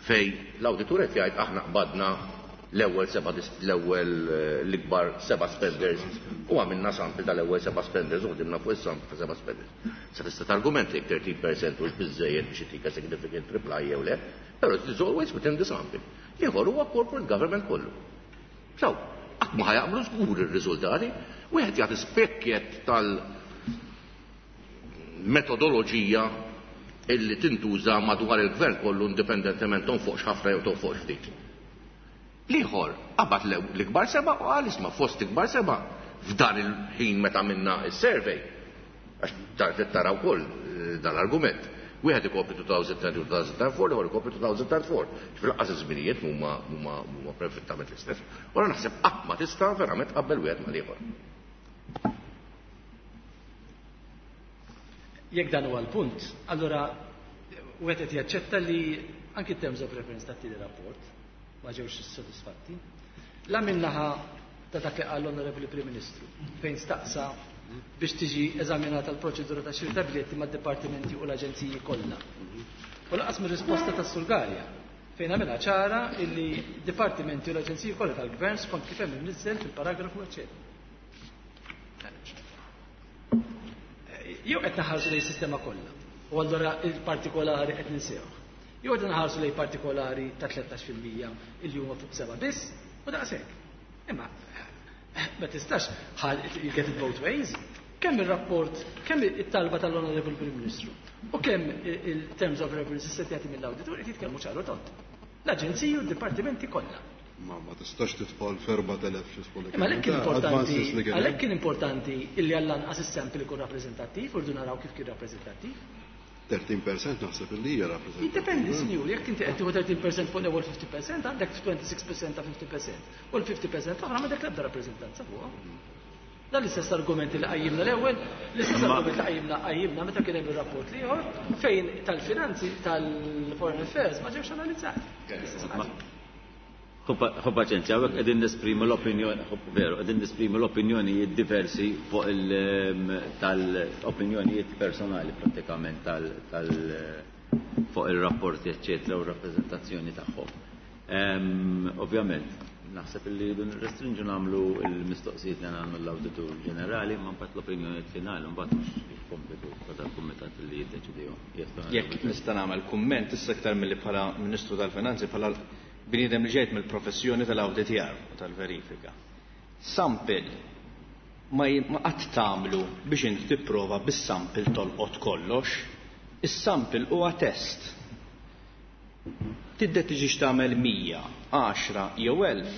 fej l-awditur qed jgħid aħna qbadna l-ewwel seba' l-ewwel eh, l-ikbar seba' spenders u għamilna sample tal-ewwel seba' spenders u ħdimna fuq is-sample ta' seba' spenders. Sa tista' targument jekk thirteen percent hux biżejjed biex itika significant reply jew le, però it is always within the sample. Ieħor huwa corporate government kollu. So, qatt ma ħa jaqblu żgur ir-riżultati, wieħed jagħti spekjet tal- metodoloġija illi tintuża madwar il-gvern kollu indipendentement tonfoqx ħafna jew tonfoqx ftit. L-ieħor qabad l-ikbar seba' u qal isma' fost ikbar seba' f'dan il-ħin meta minna is-survey. Għax tara wkoll eh, dan l-argument. Wieħed ikopri twenty ten u two thousand four, l-ieħor ikopri two thousand four. Fil-qas iż-żminijiet huma huma huma perfettament l-istess. Ora naħseb qatt ma tista' verament qabel wieħed mal-ieħor. Jekk dan huwa l-punt, allura wieħed qed jaċċetta li anki terms of reference tat-tieni rapport ma ġewx sodisfatti. La minnaħa ta' dak li qal l-Onorevoli Prim Ministru fejn staqsa biex tiġi eżaminata l-proċedura ta' xiri ta' biljetti mad-dipartimenti u l-aġenziji kollha. U lanqas mir-risposta tas-Sur Galea fejn għamilha ċara illi dipartimenti u l-aġenziji kollha tal-gvern skont kif hemm imniżżel fil-paragrafu eċċetera. Jew qed naħarsu lejn sistema kollha u allura il-partikolari qed ninsewh. Jew qed naħarsu lejn partikolari ta' tlettax fil-mija illi huma fuq seba' biss u daqshekk. Imma ma tistax you get it both ways. Kemm ir-rapport, kemm it-talba tal-Onorevoli Prim Ministru u kemm il-terms of reference issettjati mill-awditur qed jitkellmu ċaru tont. L-aġenziji u d-dipartimenti kollha. Ma ma tistax tidħol f'erbat elef xi skolli. Imma għalhekk kien importanti, għalhekk kien importanti illi għall-anqas is-sample ikun rappreżentattiv u rridu naraw kif kien rappreżentattiv. thirteen percent naħseb illi hija rappreżentattiv. Jiddependi, sinjur, jekk inti qed tieħu thirteen percent fuq l-ewwel fifty percent, għandek twenty-six percent ta' fifty percent. U l-fifty percent l-oħra m'għandek l-ebda rappreżentanza fuqha. Dan l-istess argument li qajjimna l-ewwel, l-istess argument li qajjimna qajjimna meta kien hemm ir-rapport l-ieħor fejn tal-finanzi tal-Foreign Affairs ma ġewx analizzati. L-istess ħaġa. Ħu paċenzja, hawnhekk qegħdin nesprimu l-opinjoni, veru, qegħdin nesprimu l-opinjonijiet diversi fuq il tal-opinjonijiet personali prattikament tal, tal fuq ir-rapporti eċċetera u r-rappreżentazzjoni tagħhom. Ovvjament, naħseb li rridu nirrestrinġu nagħmlu l-mistoqsijiet li nagħmlu l-Awditur Ġenerali, ma mbagħad l-opinjonijiet finali mbagħad mhux il-kompitu ta' dal-kumitat li jiddeċidihom. Jekk nista' nagħmel kumment issa aktar milli bħala Ministru tal-Finanzi bħala bniedem li ġejt mill-professjoni tal-awditjar u tal-verifika. Sample ma qatt tagħmlu biex inti tipprova bis-sample tolqot kollox. Is-sample huwa test. Tiddeċiġi tagħmel mija, għaxra jew elf,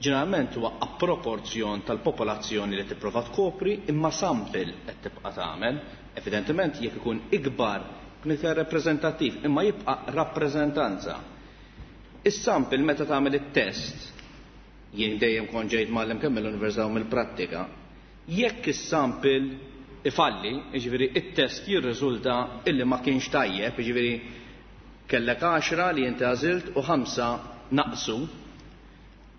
ġeneralment huwa a proporzjon tal-popolazzjoni li tipprova tkopri, imma sample qed tibqa' tagħmel. Evidentement jekk ikun ikbar ikun iktar rappreżentattiv, imma jibqa' rappreżentanza. Is-sample meta tagħmel it-test, jien dejjem kont ġejt mgħallem kemm mill-università u mill-prattika, jekk is-sample ifalli, jiġifieri it-test jirriżulta illi ma kienx tajjeb, jiġifieri kellek għaxra li inti għażilt u ħamsa naqsu,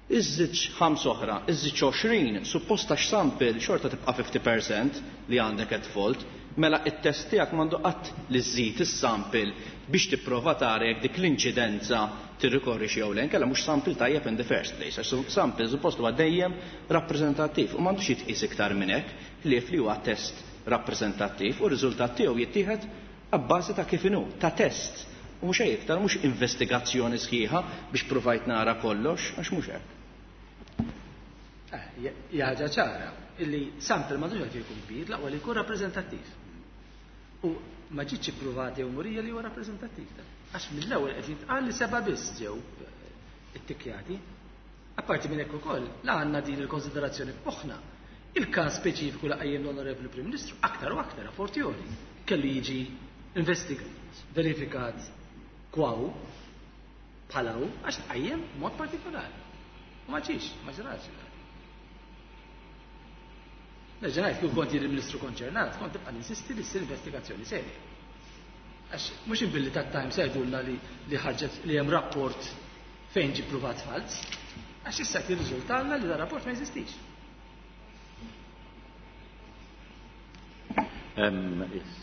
iżżidx ħamsa oħra, iżżidx għoxrin, supposta x'sample xorta tibqa' fifty percent li għandek at fault, mela it-test tiegħek m'għandu qatt li żżid is-sample biex tipprova tara jekk dik l-inċidenza tirrikorri xi jew le, inkella mhux sample tajjeb in the first place, għax sample suppost huwa dejjem rappreżentattiv u m'għandux jitqies iktar minn hekk, ħlief li huwa test rappreżentattiv u r-riżultat tiegħu jittieħed abbażi ta' kif inhu, ta' test. U mhux hekk iktar, mhux investigazzjoni sħiħa biex provajt nara kollox, għax mhux hekk. Hija ħaġa ċara illi sample m'għandux għalfejn jkun kbir, l-aqwa li jkun rappreżentattiv. U ma ġietx ippruvati jew murija li huwa rappreżentattiv. Għax mill-ewwel qed jintqal li seba' biss ġew ittikkjati. Apparti minn hekk ukoll, la għandna din il-konsiderazzjoni f'moħħna. Il-każ speċifiku li qajjem l-Onorevoli Prim Ministru aktar u aktar a fortiori kellu jiġi investigat, verifikat kwaw bħala hu għax tqajjem b'mod partikolari. U ma ġiex, ma ġrax. Nerġa' ngħid kieku kont jien il-Ministru konċernat, kont tibqa' ninsisti li ssir investigazzjoni serja. Għax mhux imbilli tat-Times jgħidulna li, li ħarġet li hemm rapport fejn ġie ppruvat falz, għax issa qed jirriżultalna li dan rapport ma jeżistix. Yes.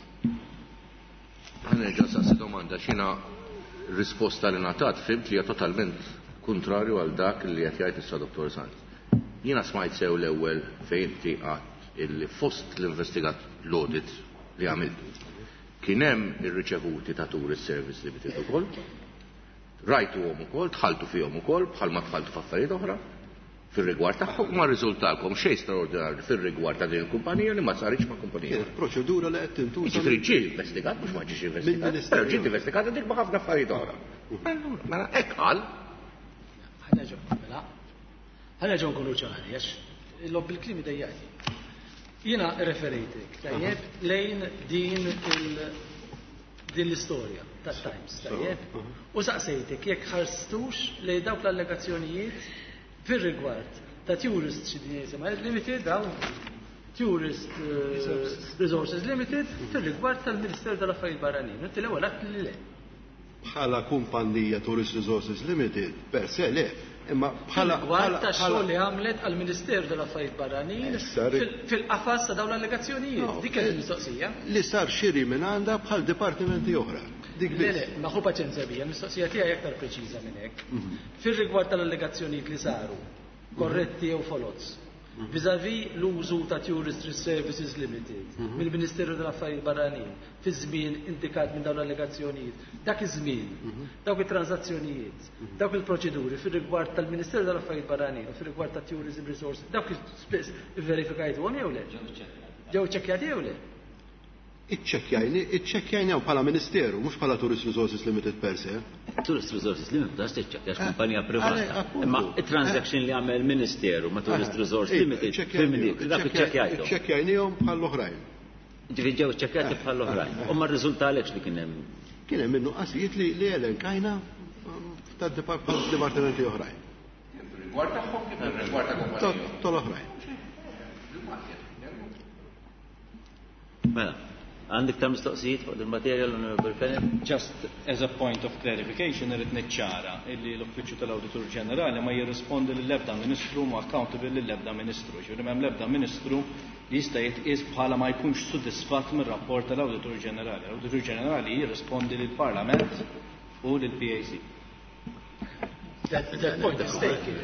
Ħa nerġa' saqsi domanda, x'inha risposta li ngħatat fimt li hija totalment kontrarju għal dak li qed jgħid issa Dottor Sant. Jiena smajt sew l-ewwel fejn inti qatt illi fost l-investigat l-audit li għamiltu kien hemm ir-riċevuti ta' Tourist Service Limited ukoll, rajtuhom ukoll, dħaltu fihom ukoll bħalma dħaltu f'affarijiet oħra fir-rigward tagħhom ma rriżultalkom xejn straordinarju fir-rigward ta' din il-kumpanija li ma saritx ma' kumpanija. Kienet proċedura li qed tintuża. Jiġifieri ġie investigat mhux ma ġiex investigat, Mill-Ministeru. però ġiet investigata dik ma' ħafna affarijiet oħra. Allura, mela hekk qal. Ħa nerġgħu, mela. Ħa nerġgħu nkunu ċari, għax il-lob bil-kliem idejjaqni. Jiena referejtek, tajjeb, lejn din il-, din l-istorja tat-Times, tajjeb, u saqsejtek jekk ħarstux lejn dawk l-allegazzjonijiet fir-rigward ta' Tourist xi din jisimha Limited, dawn Tourist, eh, Resources Limited fir-rigward tal-Ministeru tal-Affarijiet Barranin. Inti l-ewwel għedt li le. Bħala kumpanija Tourist Resources Limited, per se le, Imma bħala Rigward tax-xogħol li għamlet għall-Ministeru tal-Affarijiet Barranin fil-qafas ta' dawn l-allegazzjonijiet. Dik kienet il-mistoqsija. Li sar xiri minn għandha bħal dipartimenti oħra. Dik Le, le, ma ħu paċenzja bija, l-mistoqsija tiegħi aktar preċiża minn hekk. Fir-rigward tal-allegazzjonijiet li saru, korretti jew foloz, vis-à-vis l-użu ta' Tourist Services Limited mill-Ministeru tal-Affarijiet Barranin fi żmien indikat minn dawn l-allegazzjonijiet, dak iż-żmien, dawk it-transazzjonijiet, dawk il-proċeduri fir-rigward tal-Ministeru tal-Affarijiet Barranin u fir-rigward ta' Tourism Resources, dawk spess ivverifikajtuhom jew le? Ġew ċekkjati jew le? Iċċekkjajni, iċċekkjajni bħala Ministeru, mhux bħala Tourist Resources Limited per se. Tourist Resources Limited għax tiċċekkja għax kumpanija privata. Imma it-transaction li għamel Ministeru ma' Tourist Resources Limited, fimni, dak iċċekkjajtu. Iċċekkjajnihom bħall-oħrajn. Ġifieri ġew iċċekkjati bħall-oħrajn. U ma rriżultalekx li kien hemm. Kien hemm in-nuqqasijiet li li elenkajna tad-dipartimenti oħrajn. Rigward tagħhom kif rigward ta' kumpanija. Tal-oħrajn. Mela. Għandek ta' mistoqsijiet fuq il-materja l-Onorevole Fenech? Just as a point of clarification, irrid niċċara illi l-Uffiċċju tal-Awditur Ġenerali ma jirrispondi lill-ebda Ministru ma accountable lill-ebda Ministru. Ġifieri m'hemm l-ebda Ministru li jista' jitqies bħala ma jkunx sodisfatt mir-rapport tal-Awditur Ġenerali. L-Awditur Ġenerali jirrispondi lill-Parlament u lill-P A C. That, that point is taken.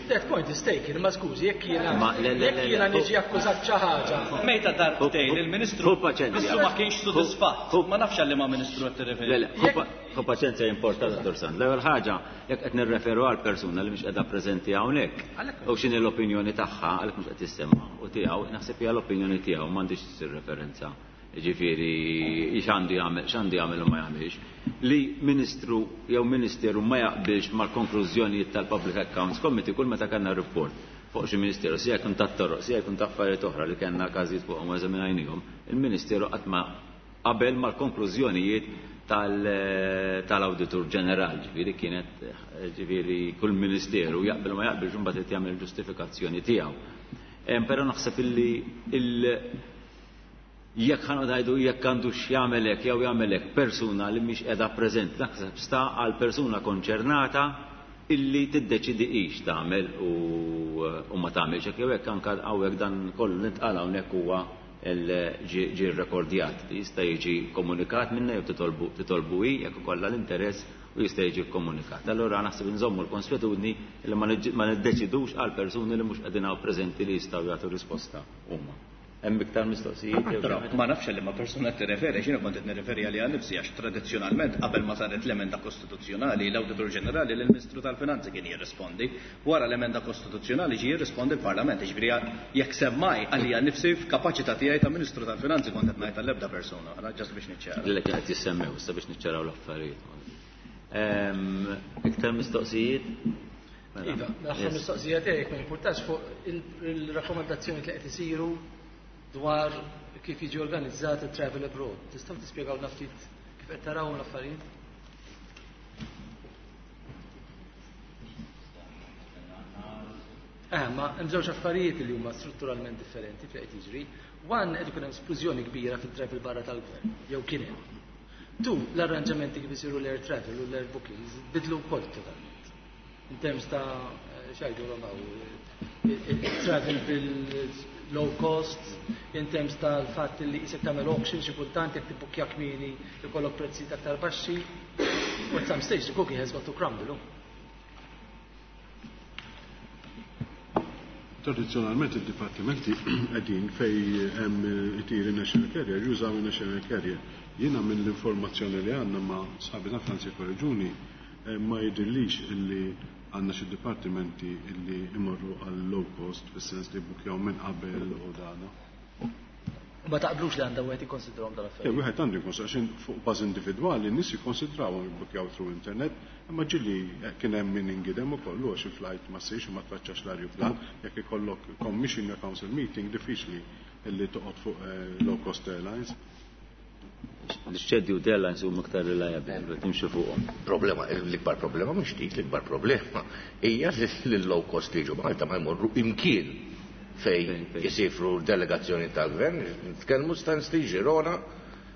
That point is taken, ma skużi, jekk jiena jekk jiena niġi akkużat xi ħaġa. Mejta darbtejn il-Ministru Ministru ma kienx sodisfatt. Ma nafx għal liema Ministru qed tirreferi. Le, le, hu paċenzja importanti, Dottor Sand. L-ewwel ħaġa, jekk qed nirreferu għal persuna li mhix qiegħda preżenti hawnhekk, u x'inhi l-opinjoni tagħha, għalhekk mhux qed tissemma u tiegħu, naħseb hija l-opinjoni tiegħu m'għandix issir referenza. Ġifieri x'għandu jagħmel, x'għandu jagħmel u ma jagħmilx. Li ministru jew ministeru ma jaqbilx mal-konklużjonijiet tal-Public Accounts Committee kull meta kellna report fuq xi ministeru, sija jkun tat-toroq, sija jkun ta' affarijiet oħra li kellna każijiet fuqhom u eżaminajnihom, il-ministeru qatt ma qabel mal-konklużjonijiet tal-Awditur Ġeneral, ġifieri kienet ġifieri kull ministeru jaqbel ma jaqbilx imbagħad qed jagħmel ġustifikazzjoni tiegħu. Però naħseb illi il jekk ħa ngħidu jekk għandu x'jagħmel hekk jew jagħmel hekk persuna li mhix qiegħda preżenti, naħseb sta għal persuna konċernata illi tiddeċidi hix tagħmel u ma tagħmilx hekk jew hekk anke hawnhekk dan kollu li ntqal hawnhekk huwa ġie rrekordjat. Jista' jiġi komunikat minna jew titolbu titolbu hi jekk ikollha l-interess u jista' jiġi komunikat. Allura naħseb inżommu l-konswetudni li ma niddeċidux għal persuni li mhux qegħdin hawn preżenti li jistgħu jagħtu risposta huma. Hemm iktar mistoqsijiet? Ma nafx li ma persuna tirreferi, x'jiena kont qed nirreferi għaliha nnifsi għax tradizzjonalment qabel ma saret l-emenda kostituzzjonali l-Awditur Ġenerali lill-Ministru tal-Finanzi kien jirrispondi. Wara l-emenda kostituzzjonali ġie jirrispondi l-Parlament, jiġifieri jekk semmaj għalija nnifsi f'kapaċità tiegħi ta' Ministru tal-Finanzi kont qed ngħid għall-ebda persuna, ġast biex niċċara. Lilek qed jissemmew issa biex niċċaraw l-affarijiet. Iktar mistoqsijiet? Iva, l-aħħar mistoqsija tiegħek ma jimpurtax fuq il-rakkomandazzjoni li qed isiru dwar kif jiġi organizzat il-travel abroad. Tistgħu tispjegawlna ftit kif qed taraw l-affarijiet? Eh, ma hemm żewġ affarijiet li huma strutturalment differenti fli qed jiġri. One, qed ikun hemm splużjoni kbira fit-travel barra tal-gvern, jew kien hemm. Two, l-arranġamenti kif isiru l-air travel u l-air bookings bidlu wkoll totalment. In terms ta' x'għidu il-travel bil-low cost, in terms tal-fatt li jisek tagħmel auction xi kultant jekk tibbukkja kmieni ikollok prezzijiet aktar baxxi. U at some stage the cookie has got to crumble. Tradizzjonalment id-dipartimenti qegħdin fej hemm itiri National Carrier, jużaw il-National Carrier. Jiena minn l-informazzjoni li għandna ma' sħabi ta' Franzi Korreġuni ma jidhirlix illi għandna xi dipartimenti illi imorru għal low cost fis-sens li bukjaw minn qabel u dana. Ma taqblux li għandha wieħed jikkonsidrawhom dal-affarijiet? Wieħed għandu jikkonsidra għax fuq bażi individwali n-nies jikkonsidrawhom jibbukjaw through internet, imma ġieli kien hemm min ingidem ukoll għax il-flight ma ssirx u ma tfaċċax l-ajruplan, jekk ikollok commission jew council meeting diffiċli illi toqgħod fuq low cost airlines. L-scheduled airlines huma iktar reliable, timxu fuqhom. Problema, l-ikbar problema mhux dik, l-ikbar problema hija li l-low cost li jiġu Malta ma jmorru imkien fej jisifru delegazzjoni tal-gvern, nitkellmu Stanley, Girona,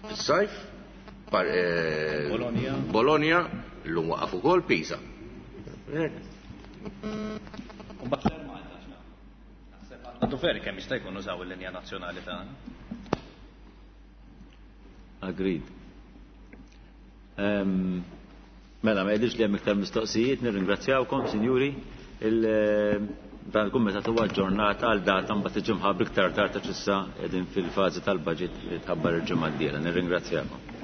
fis-sajf, Bologna, Bologna, llum waqaf ukoll Pisa. U mbagħad l-Air Malta x'nagħmlu? Naħseb għandna dover kemm jista' jkun użaw il-linja nazzjonali tagħna. Agreed. Um, mela, ma jidhirx li hemm iktar mistoqsijiet, nirringrazzjawkom, sinjuri. Il, dan il-kumitat huwa aġġornat għal data mbagħad tiġi mħabbra iktar tard għax issa qegħdin fil-fażi tal-budget li tħabbar il-ġimgħa d-dieħla. Nirringrazzjakom.